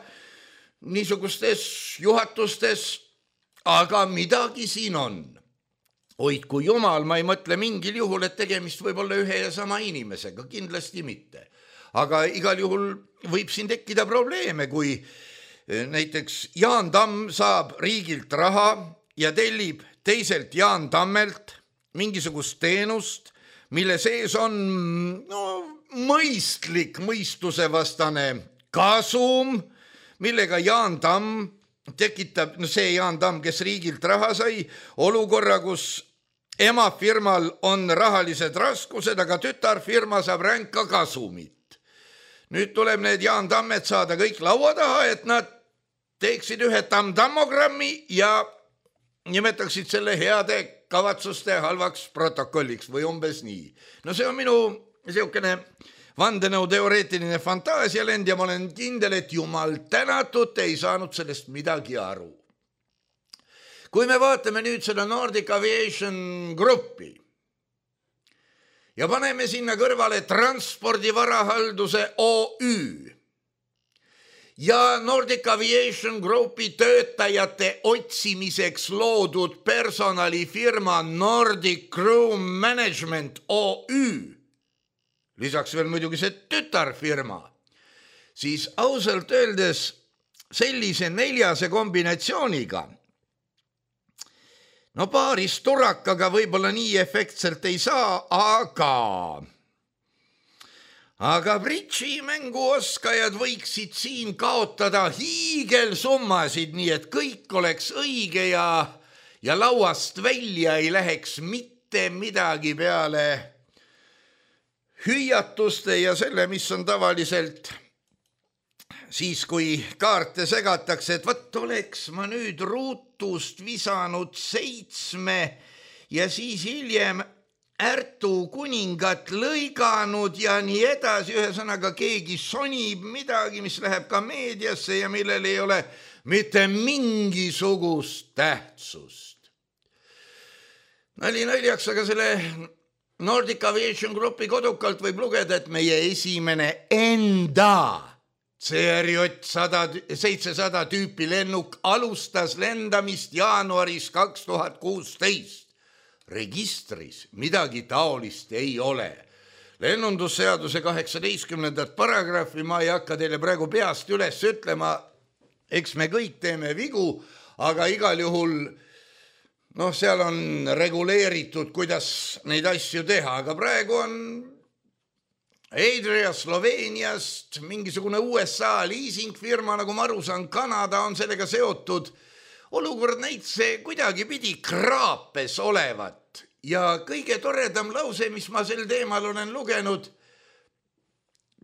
niisugustes juhatustes, aga midagi siin on. Hoidku jumal, ma ei mõtle mingil juhul, et tegemist võib olla ühe ja sama inimesega, kindlasti mitte. Aga igal juhul võib siin tekkida probleeme, kui näiteks Jaan Tamm saab riigilt raha ja tellib teiselt Jaan Tammelt mingisugust teenust, mille sees on mõistlik mõistusevastane kasum, millega Jaan Tamm tekitab, see Jaan Tamm, kes riigilt raha sai, olukorra, kus emafirmal on rahalised raskused, aga tütarfirma saab ränka kasumit. Nüüd tuleb need Jaan Tammed saada kõik laua taha, et nad teeksid ühe tamm-tammogrammi ja nimetaksid selle heade kavatsuste halvaks protokolliks või umbes nii. No see on minu selline vandenõuteoreetiline fantaasialend ja ma olen kindel, et jumal tänatud, ei saanud sellest midagi aru. Kui me vaatame nüüd seda Nordic Aviation Groupi ja paneme sinna kõrvale transpordivarahalduse OÜ ja Nordic Aviation Groupi töötajate otsimiseks loodud personalifirma Nordic Crew Management OÜ, lisaks veel muidugi see tütarfirma, siis ausalt öeldes sellise neljase kombinatsiooniga no paaris turakaga võib-olla nii efektselt ei saa, aga bridži-mänguoskajad võiksid siin kaotada hiigelsummasid, nii et kõik oleks õige ja lauast välja ei läheks mitte midagi peale hüüatuste ja selle, mis on tavaliselt siis, kui kaarte segatakse, et võt oleks ma nüüd ruutust visanud 7 ja siis hiljem Ärtu kuningat lõiganud ja nii edasi, ühesõnaga keegi sonib midagi, mis läheb ka meediasse ja millel ei ole mitte mingisugust tähtsust. Nali naljaks, aga selle Nordic Aviation Groupi kodukalt võib lugeda, et meie esimene enda CRJ 700 tüüpi lennuk alustas lendamist jaanuaris 2016. Registris midagi taolist ei ole. Lennundusseaduse 18. paragrahvi ma ei hakka teile praegu peast üles ütlema, eks me kõik teeme vigu, aga igal juhul seal on reguleeritud, kuidas neid asju teha, aga praegu on Adria Sloveeniast mingisugune USA liisingfirma, nagu ma aru saan, Kanada on sellega seotud. Olukord näitse kuidagi pidi kraapes olevat ja kõige toredam lause, mis ma sel teemal olen lugenud,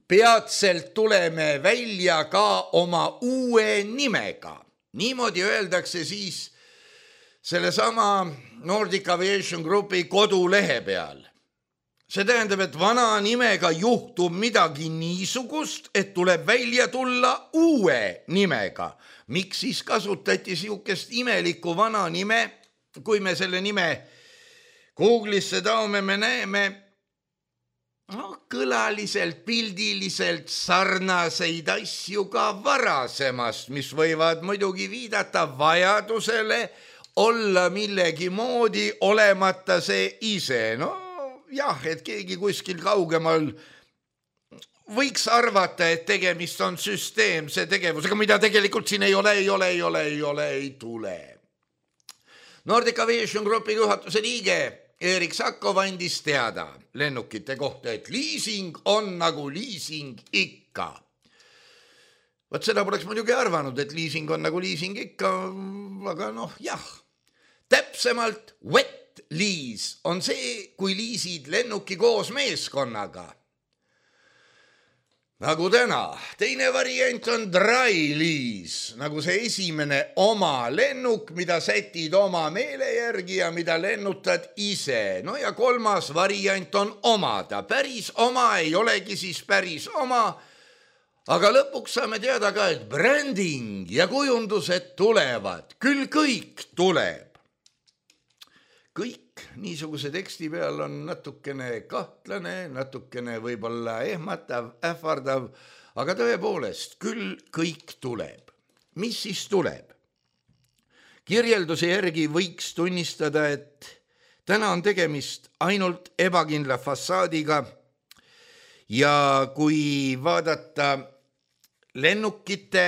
peatselt tuleme välja ka oma uue nimega. Niimoodi öeldakse siis sellesama Nordic Aviation Groupi kodulehe peal. See tähendab, et vana nimega juhtub midagi niisugust, et tuleb välja tulla uue nimega. Miks siis kasutati siukest imelikku vana nime, kui me selle nime Google'isse taome, me näeme kõlaliselt, pildiliselt sarnaseid asju ka varasemast, mis võivad muidugi viidata vajadusele olla millegi moodi, olemata see ise. Jah, et keegi kuskil kaugemal võiks arvata, et tegemist on süsteemse tegevusega, mida tegelikult siin ei ole, ei tule. Nordic Aviation Groupi juhatuse liige Erik Sakov andis teada lennukite kohta, et liising on nagu liising ikka. Võt seda poleks muidugi arvanud, et liising on nagu liising ikka, aga jah. Täpsemalt wet liis on see, kui liisid lennuki koos meeskonnaga. nagu täna. Teine variant on dry lease, nagu see esimene oma lennuk, mida sätid oma meele järgi ja mida lennutad ise. No ja kolmas variant on omada. Päris oma ei olegi siis päris oma, aga lõpuks saame teada ka, et branding ja kujundused tulevad. Küll kõik tuleb. Kõik niisuguse teksti peal on natukene kahtlane, natukene võib-olla ehmatav, ähvardav, aga tõepoolest, küll kõik tuleb. Mis siis tuleb? Kirjelduse järgi võiks tunnistada, et täna on tegemist ainult ebakindla fassaadiga ja kui vaadata lennukite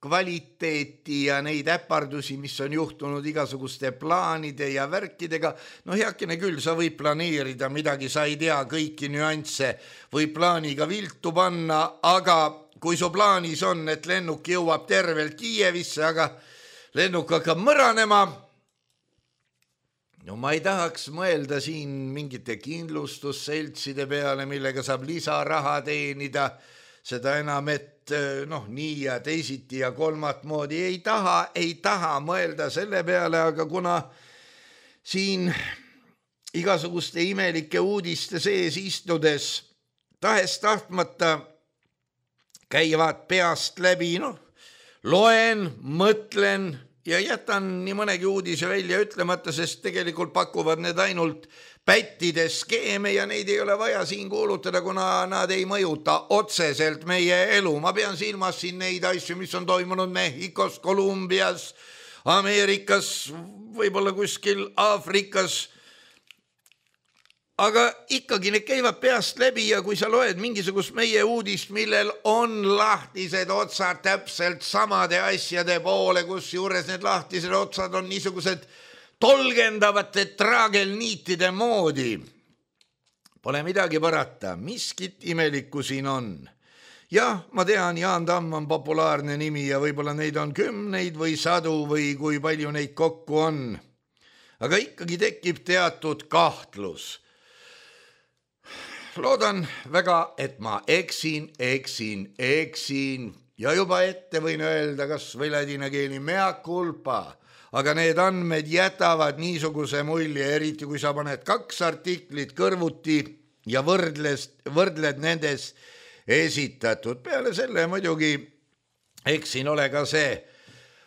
kvaliteeti ja neid äpardusi, mis on juhtunud igasuguste plaanide ja värkidega, no heakene küll, sa võid planeerida midagi, sa ei tea kõiki nüansse, või plaaniga viltu panna, aga kui su plaanis on, et lennuk jõuab tervelt Kiievisse, aga lennuk hakkab mõranema, no ma ei tahaks mõelda siin mingite kindlustusseltside peale, millega saab lisaraha teenida, seda enam, et nii ja teisiti ja kolmat moodi ei taha mõelda selle peale, aga kuna siin igasuguste imelike uudiste sees istudes tahes-tahtmata käivad peast läbi, loen, mõtlen ja jätan nii mõnegi uudise välja ütlemata, sest tegelikult pakuvad need ainult pättide skeeme ja neid ei ole vaja siin kuulutada, kuna nad ei mõjuta otseselt meie elu. Ma pean silmas siin neid asju, mis on toimunud Mehhikos, Kolumbias, Ameerikas, võib-olla kuskil Aafrikas. Aga ikkagi need käivad peast läbi ja kui sa loed mingisugust meie uudist, millel on lahtised otsad täpselt samade asjade poole, kus juures need lahtised otsad on niisugused tolgendavate traagelniitide moodi. Pole midagi parata, miskit imelikku siin on. Jah, ma tean, Jaan Tamm on populaarne nimi ja võib-olla neid on 10 või 100 või kui palju neid kokku on. Aga ikkagi tekib teatud kahtlus. Loodan väga, et ma eksin ja juba ette võin öelda, kas või ladina keeli mea culpa. Aga need andmed jätavad niisuguse mulje, eriti kui sa paned 2 artiklit kõrvuti ja võrdled nendes esitatud. Peale selle muidugi eksin ole ka see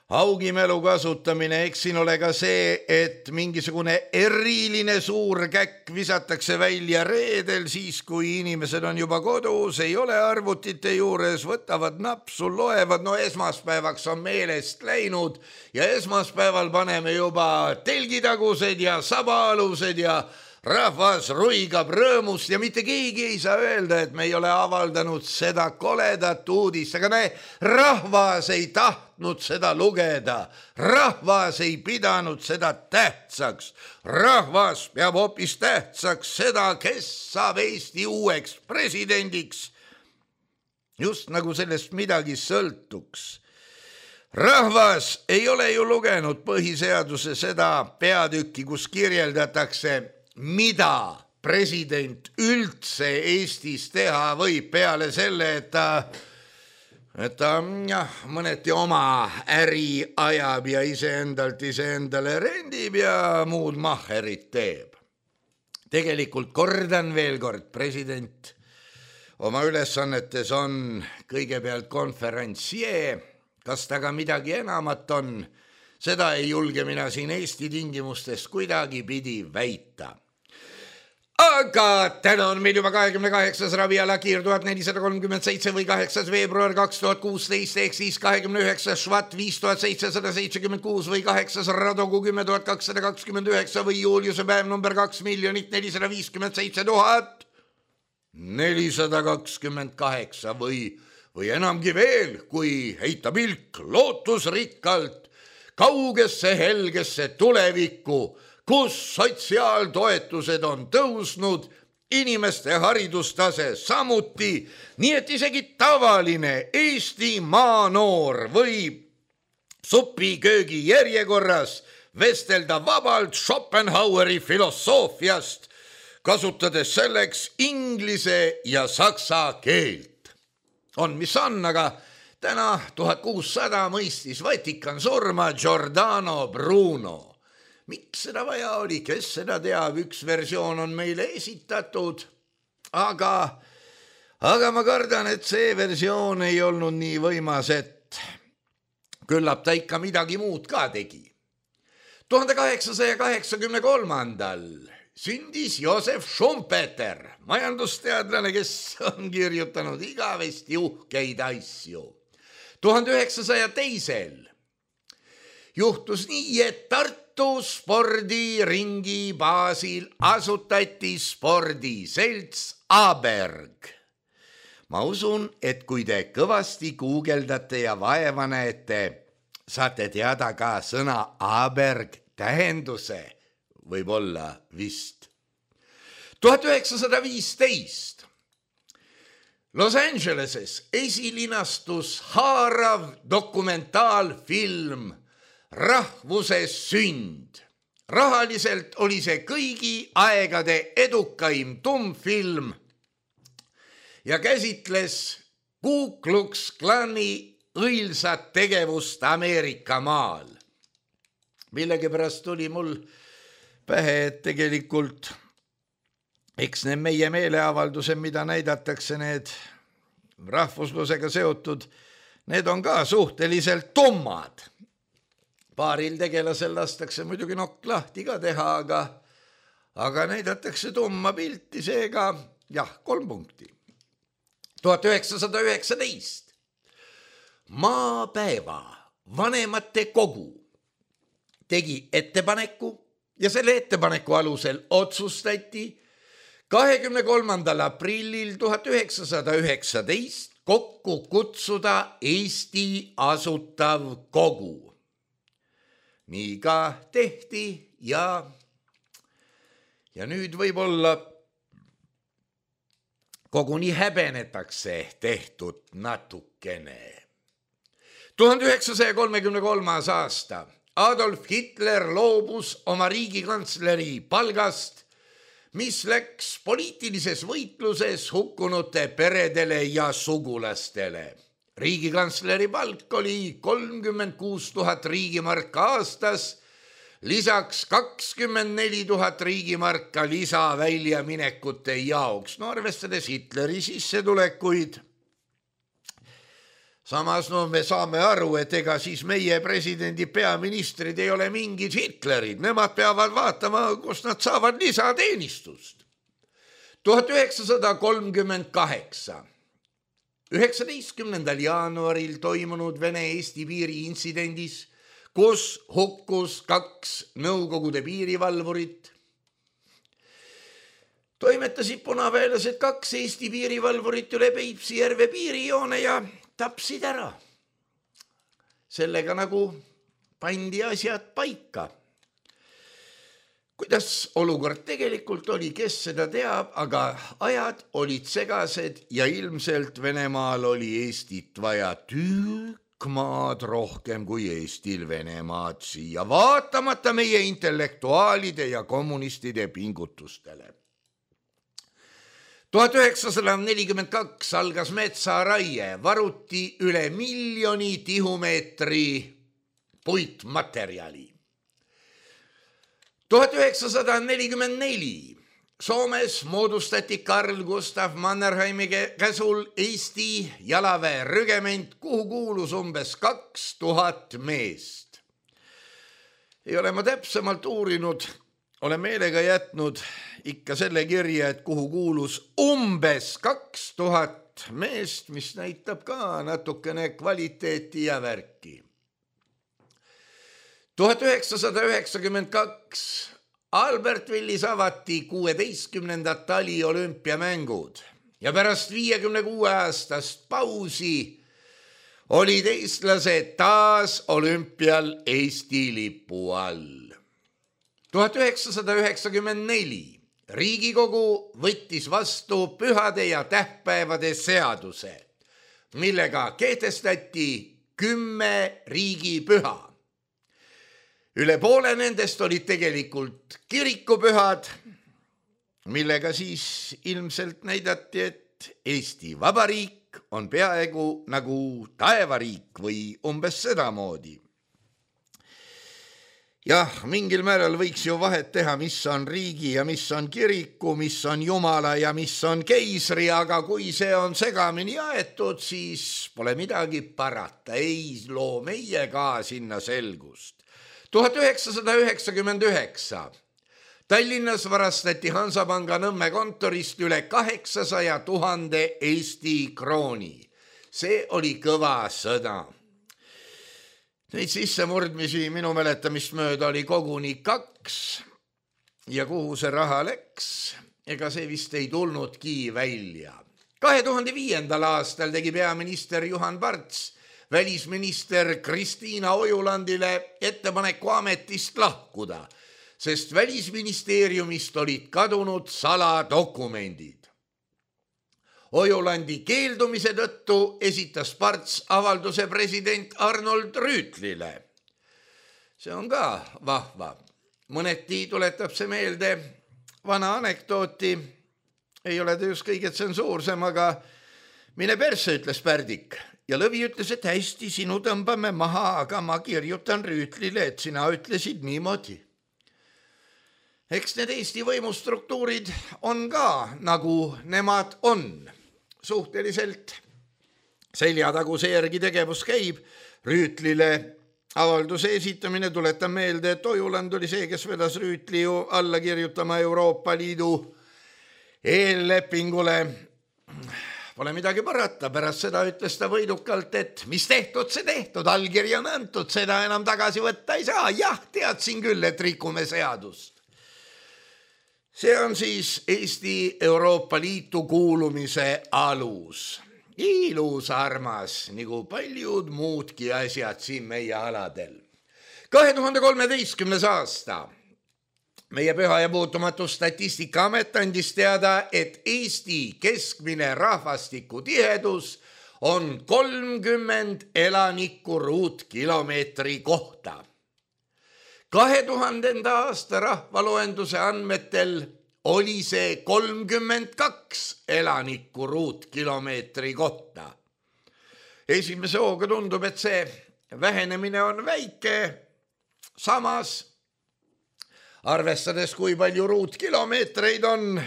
augimelu kasutamine, eksin ole ka see, et mingisugune eriline suur käkk visatakse välja reedel, siis kui inimesed on juba kodus, ei ole arvutite juures, võtavad napsu, loevad, esmaspäevaks on meelest läinud ja esmaspäeval paneme juba telgitagused ja sabaalused ja rahvas ruigab rõõmust ja mitte keegi ei saa öelda, et me ei ole avaldanud seda koledat uudist, aga rahvas ei tahtnud seda lugeda, rahvas ei pidanud seda tähtsaks, rahvas peab hoopis tähtsaks seda, kes saab Eesti uueks presidendiks, just nagu sellest midagi sõltuks. Rahvas ei ole ju lugenud põhiseaduse seda peatükki, kus kirjeldatakse, mida president üldse Eestis teha võib peale selle, et ta mõneti oma äri ajab ja iseendale rendib ja muud mahherit teeb. Tegelikult kordan veel kord, president oma ülesannetes on kõigepealt konferentsier, kas ta ka midagi enamat on, seda ei julge mina siin Eesti tingimustes kuidagi pidi väita. Aga täna on meil juba 28. raviala kiir 1437 või 8. veebruar 2016 ehk siis 29. švat 5776 või 8. radogu 10229 või Juliuse päev number 2 457 428 või enamgi veel, kui heita pilk lootusrikkalt kaugesse helgesse tulevikku, kus sotsiaaltoetused on tõusnud, inimeste haridustase samuti, nii et isegi tavaline Eesti maanoor võib supiköögi järjekorras vestelda vabalt Schopenhaueri filosoofiast, kasutades selleks inglise ja saksa keelt. on, mis on, aga täna 1600 mõistis Vatikan surma Giordano Bruno. Miks seda vaja oli, kes seda teab, üks versioon on meile esitatud, aga ma kardan, et see versioon ei olnud nii võimas, et küllap ta ikka midagi muud ka tegi. 1883. sündis Josef Schumpeter, majandusteadlane, kes on kirjutanud igavesti uhkeid asju. 1902. juhtus nii, et Tartu spordiringi baasil asutati spordiselts Aberg. Ma usun, et kui te kõvasti guugeldate ja vaeva näete, saate teada ka sõna Aberg tähenduse, võib-olla vist. 1915. Los Angeleses esilinastus haarav dokumentaalfilm Rahvuse sünd. Rahaliselt oli see kõigi aegade edukaim tummfilm ja käsitles Ku Klux Klani õilsat tegevust Ameerika maal. Millegipärast tuli mul pähe, et tegelikult eks need meie meeleavaldused, mida näidatakse, need rahvuslusega seotud, need on ka suhteliselt tummad. Paaril tegelasel lastakse muidugi nokk lahti ka teha, aga näidatakse tumma pilti, seega jah, 3 punkti. 1919. Maapäeva vanemate kogu tegi ettepaneku ja selle ettepaneku alusel otsustati 23. aprillil 1919 kokku kutsuda Eesti asutav kogu. Nii ka tehti ja nüüd võib-olla koguni häbenetakse tehtud natukene. 1933. aasta. Adolf Hitler loobus oma riigikantsleri palgast, mis läks poliitilises võitluses hukkunute peredele ja sugulastele. Riigikantsleri palk oli 36 000 riigimarka aastas, lisaks 24 000 riigimarka lisaväljaminekute jaoks, no arvestades Hitleri sissetulekuid. Samas me saame aru, et ega siis meie presidendi peaministrid ei ole mingid Hitlerid, nemad peavad vaatama, kus nad saavad lisateenistust. 1938. 19. jaanuaril toimunud Vene-Eesti piiri intsidendis, kus hukkus 2 Nõukogude piirivalvurit. Toimetasid punaväelased 2 Eesti piirivalvurit üle Peipsi järve piirijoone ja tapsid ära. Sellega nagu pandi asjad paika. Kuidas olukord tegelikult oli, kes seda teab, aga ajad olid segased ja ilmselt Venemaal oli Eestit vaja tükk maad rohkem kui Eestil Venemaad siia, vaatamata meie intellektuaalide ja kommunistide pingutustele. 1942 algas metsaraie, varuti üle 1 miljoni tihumeetri puitmaterjali. 1944 Soomes moodustati Carl Gustav Mannerheimi käsul Eesti jalaväerügement, kuhu kuulus umbes 2000 meest. Ei ole ma täpsemalt uurinud, olen meelega jätnud ikka selle kirja, et kuhu kuulus umbes 2000 meest, mis näitab ka natukene kvaliteeti ja värki. 1992 Albertvillis avati 16. taliolümpiamängud ja pärast 56 aastast pausi olid eestlased taas olümpial Eesti lipu all. 1994 Riigikogu võttis vastu pühade ja tähtpäevade seaduse, millega kehtestati 10 riigipüha. Üle poole nendest olid tegelikult kirikupühad, millega siis ilmselt näidati, et Eesti Vabariik riik on peaaegu nagu taevariik või umbes sedamoodi. Jah, mingil määral võiks ju vahet teha, mis on riigi ja mis on kiriku, mis on jumala ja mis on keisri, aga kui see on segamini aetud, siis pole midagi parata, ei loo meie ka sinna selgust. 1999 Tallinnas varastati Hansapanga Nõmme kontorist üle 800 000 Eesti krooni. See oli kõva sõda. Neid sissemurdmisi minu mäletamist mööda oli koguni 2 ja kuhu see raha läks, ega see vist ei tulnudki välja. 2005. aastal tegi peaminister Juhan Parts välisminister Kristiina Ojulandile ettepaneku ametist lahkuda, sest välisministeeriumist olid kadunud saladokumendid. Ojulandi keeldumise tõttu esitas Parts avalduse president Arnold Rüütlile. See on ka vahva. Mõneti tuletab see meelde vana anekdooti. Ei ole ta just kõige tsensuursem, aga mine persse, ütles Pärdik. Ja Lõvi ütles, et hästi, sinu tõmbame maha, aga ma kirjutan Rüütlile, et sina ütlesid niimoodi. Eks need Eesti võimustruktuurid on ka nagu nemad on. Suhteliselt seljataguse järgi tegevus käib. Rüütlile avalduse esitamine, tuletan meelde, et Ojuland oli see, kes vedas Rüütli ju alla kirjutama Euroopa Liidu eellepingule. Pole midagi parata, pärast seda ütles ta võidukalt, et mis tehtud, see tehtud, allkiri on antud, seda enam tagasi võtta ei saa. Jah, teadsin küll, et rikume seadust. See on siis Eesti Euroopa Liitu kuulumise alus. Ilus armas, nagu paljud muudki asjad siin meie aladel. 2013. aasta. Meie Püha ja Puutumatu Statistikaamet andis teada, et Eesti keskmine rahvastiku tihedus on 30 elanikku ruutkilomeetri kohta. 2000. aasta rahvaloenduse andmetel oli see 32 elanikku ruutkilomeetri kohta. Esimese hooga tundub, et see vähenemine on väike, samas arvestades, kui palju ruutkilomeetreid on,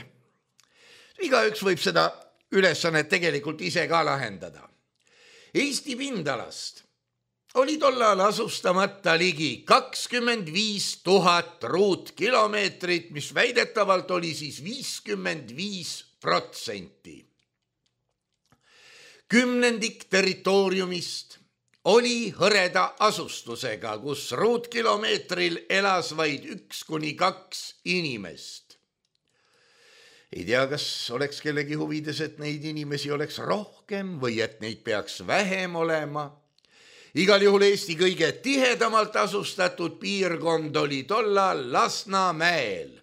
igaüks võib seda ülesannet tegelikult ise ka lahendada. Eesti pindalast oli tollal asustamata ligi 25 000 ruutkilomeetrit, mis väidetavalt oli siis 55%. Kümnendik territooriumist oli hõreda asustusega, kus ruutkilomeetril elas vaid 1-2 inimest. Ei tea, kas oleks kellegi huvides, et neid inimesi oleks rohkem või et neid peaks vähem olema. Igal juhul Eesti kõige tihedamalt asustatud piirkond oli tollal Lasnamäel.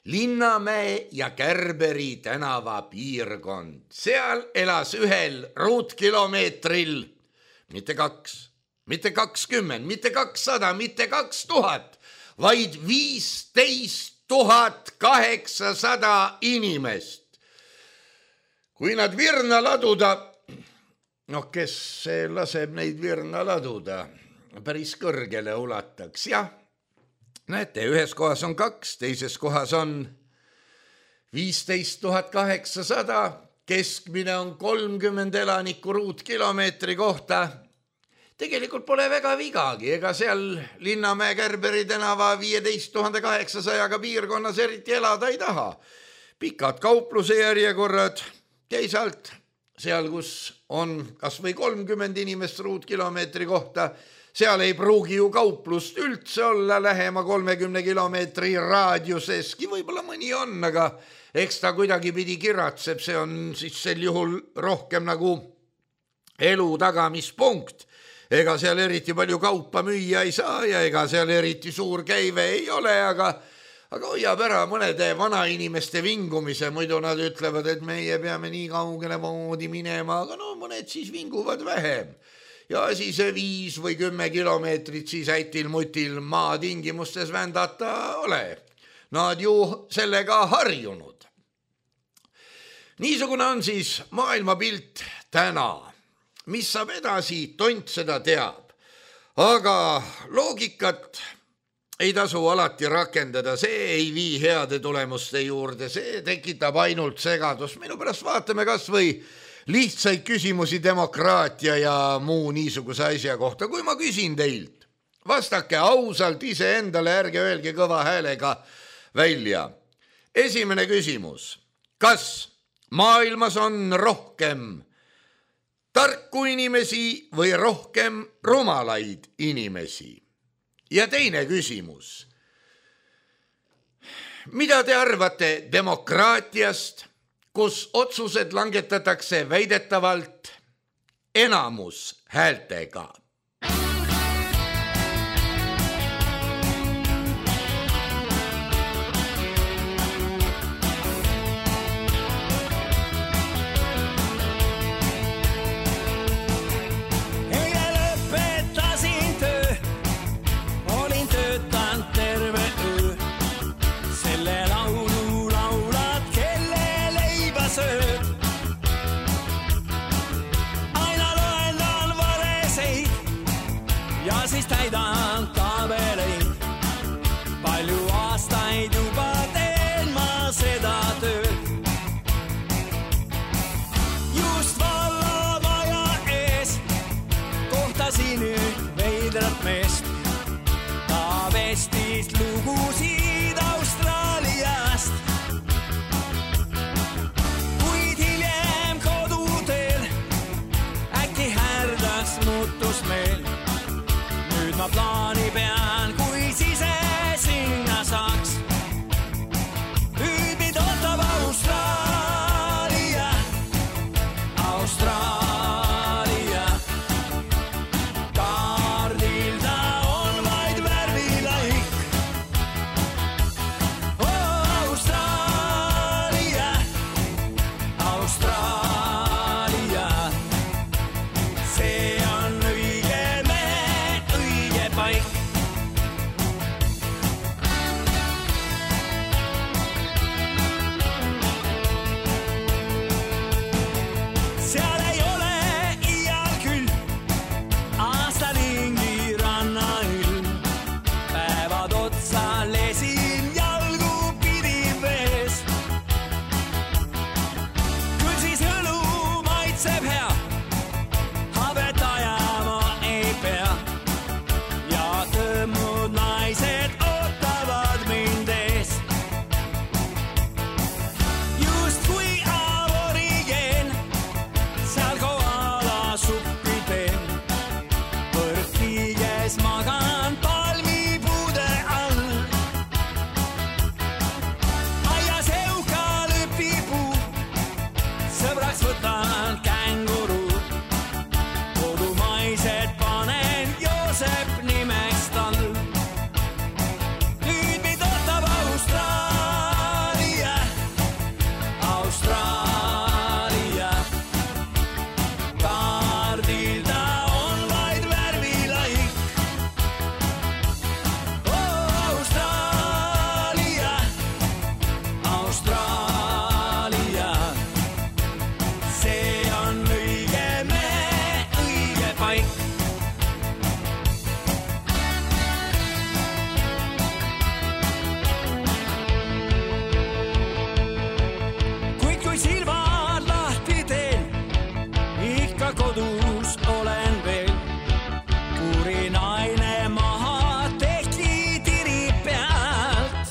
Linnamäe ja Kärberi tänava piirkond. Seal elas ühel ruutkilomeetril mitte 2, mitte 20, mitte 200, mitte 2000, vaid 15 800 inimest. Kui nad virna laduda, kes laseb neid virna laduda, päris kõrgele ulataks, jah. Näete, ühes kohas on 2, teises kohas on 15 800, keskmine on 30 elanikku ruutkilomeetri kohta. Tegelikult pole väga vigagi, ega seal Linnamäe Kärberi tänava 15 800 piirkonnas eriti elada ei taha. Pikad kaupluse järjekorrad, teisalt seal, kus on kas või 30 inimest ruutkilomeetri kohta, seal ei pruugi ju kauplust üldse olla lähema 30 kilomeetri raadiuseski, võib-olla mõni on, aga eks ta kuidagi pidi kiratseb, see on siis sel juhul rohkem nagu elu tagamispunkt. Ega seal eriti palju kaupa müüa ei saa ja ega seal eriti suur käive ei ole, aga hoiab ära mõnede vanainimeste vingumise, muidu nad ütlevad, et meie peame nii kaugele moodi minema, aga mõned siis vinguvad vähem. Ja asi see 5 või 10 kilomeetrit siis äitil-mutil maa tingimustes vändata ole. Nad ju sellega harjunud. Niisugune on siis maailmapilt täna. Mis saab edasi, tont seda teab. Aga loogikat ei tasu alati rakendada, see ei vii heade tulemuste juurde, see tekitab ainult segadust. Minu pärast vaatame kas või lihtsaid küsimusi demokraatia ja muu niisuguse asja kohta. Kui ma küsin teilt, vastake ausalt iseendale, ärge öelge kõva häälega välja. Esimene küsimus, kas maailmas on rohkem tarku inimesi või rohkem rumalaid inimesi? Ja teine küsimus, mida te arvate demokraatiast, kus otsused langetatakse väidetavalt enamus häältega? Siis täidan tabeleid, palju aastaid juba teen ma seda tööd. Just vallavaja ees kohtasin üht veidrat meest. Ta vestis lugusid Austraaliast. Kuid hiljem koduteel äkki härdas muutus meil. Ma plaani pean, kui sise sinna saaks. Nüüd mind ootab Austraalia, Austraalia. Kaardil ta on vaid värvilaik. Austraalia, Austraalia. See on õige paik. Seal ei ole iial küll aastaringi rannailm. Päevad otsa lesin jalgu pidiv vees. Küll siis õlu maitseb hea, habet ajama ei pea. Tõmmud naised ootavad mind ees. Just kui aborigeen seal koala suppi teen. Põrkiges magan palmipuude all. Aias eukalüpipuu, sõbraks võtan känguru. Kodumaised panen Joosep nimeks. Nüüd mind ootab Austraalia, Austraalia. Kaardil ta on vaid värvilaik. Austraalia, Austraalia. See on õige paik. Silvad lahti teen, ikka kodus olen veel. Kuri naine maha tehti tiri pealt.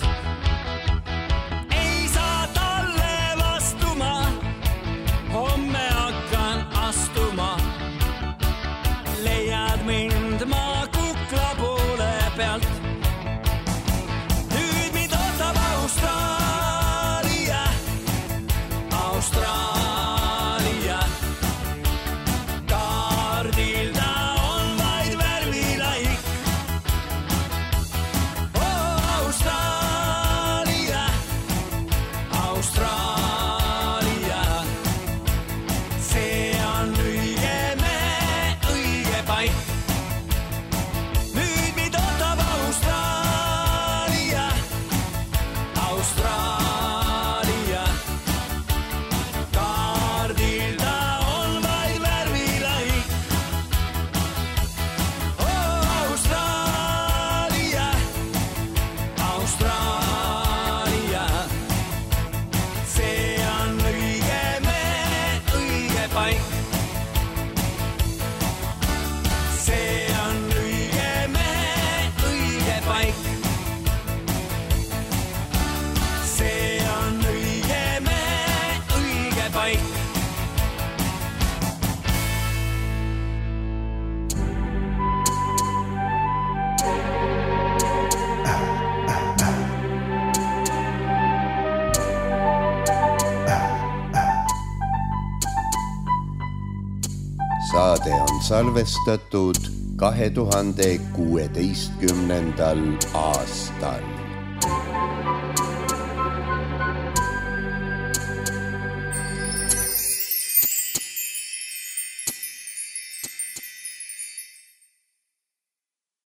Ei saa talle vastuma, homme hakkan astuma. Leiad mind ma kukla poole pealt. Nüüd mind ootab Austraalia, Austraalia. Saade on salvestatud 2016. aastal.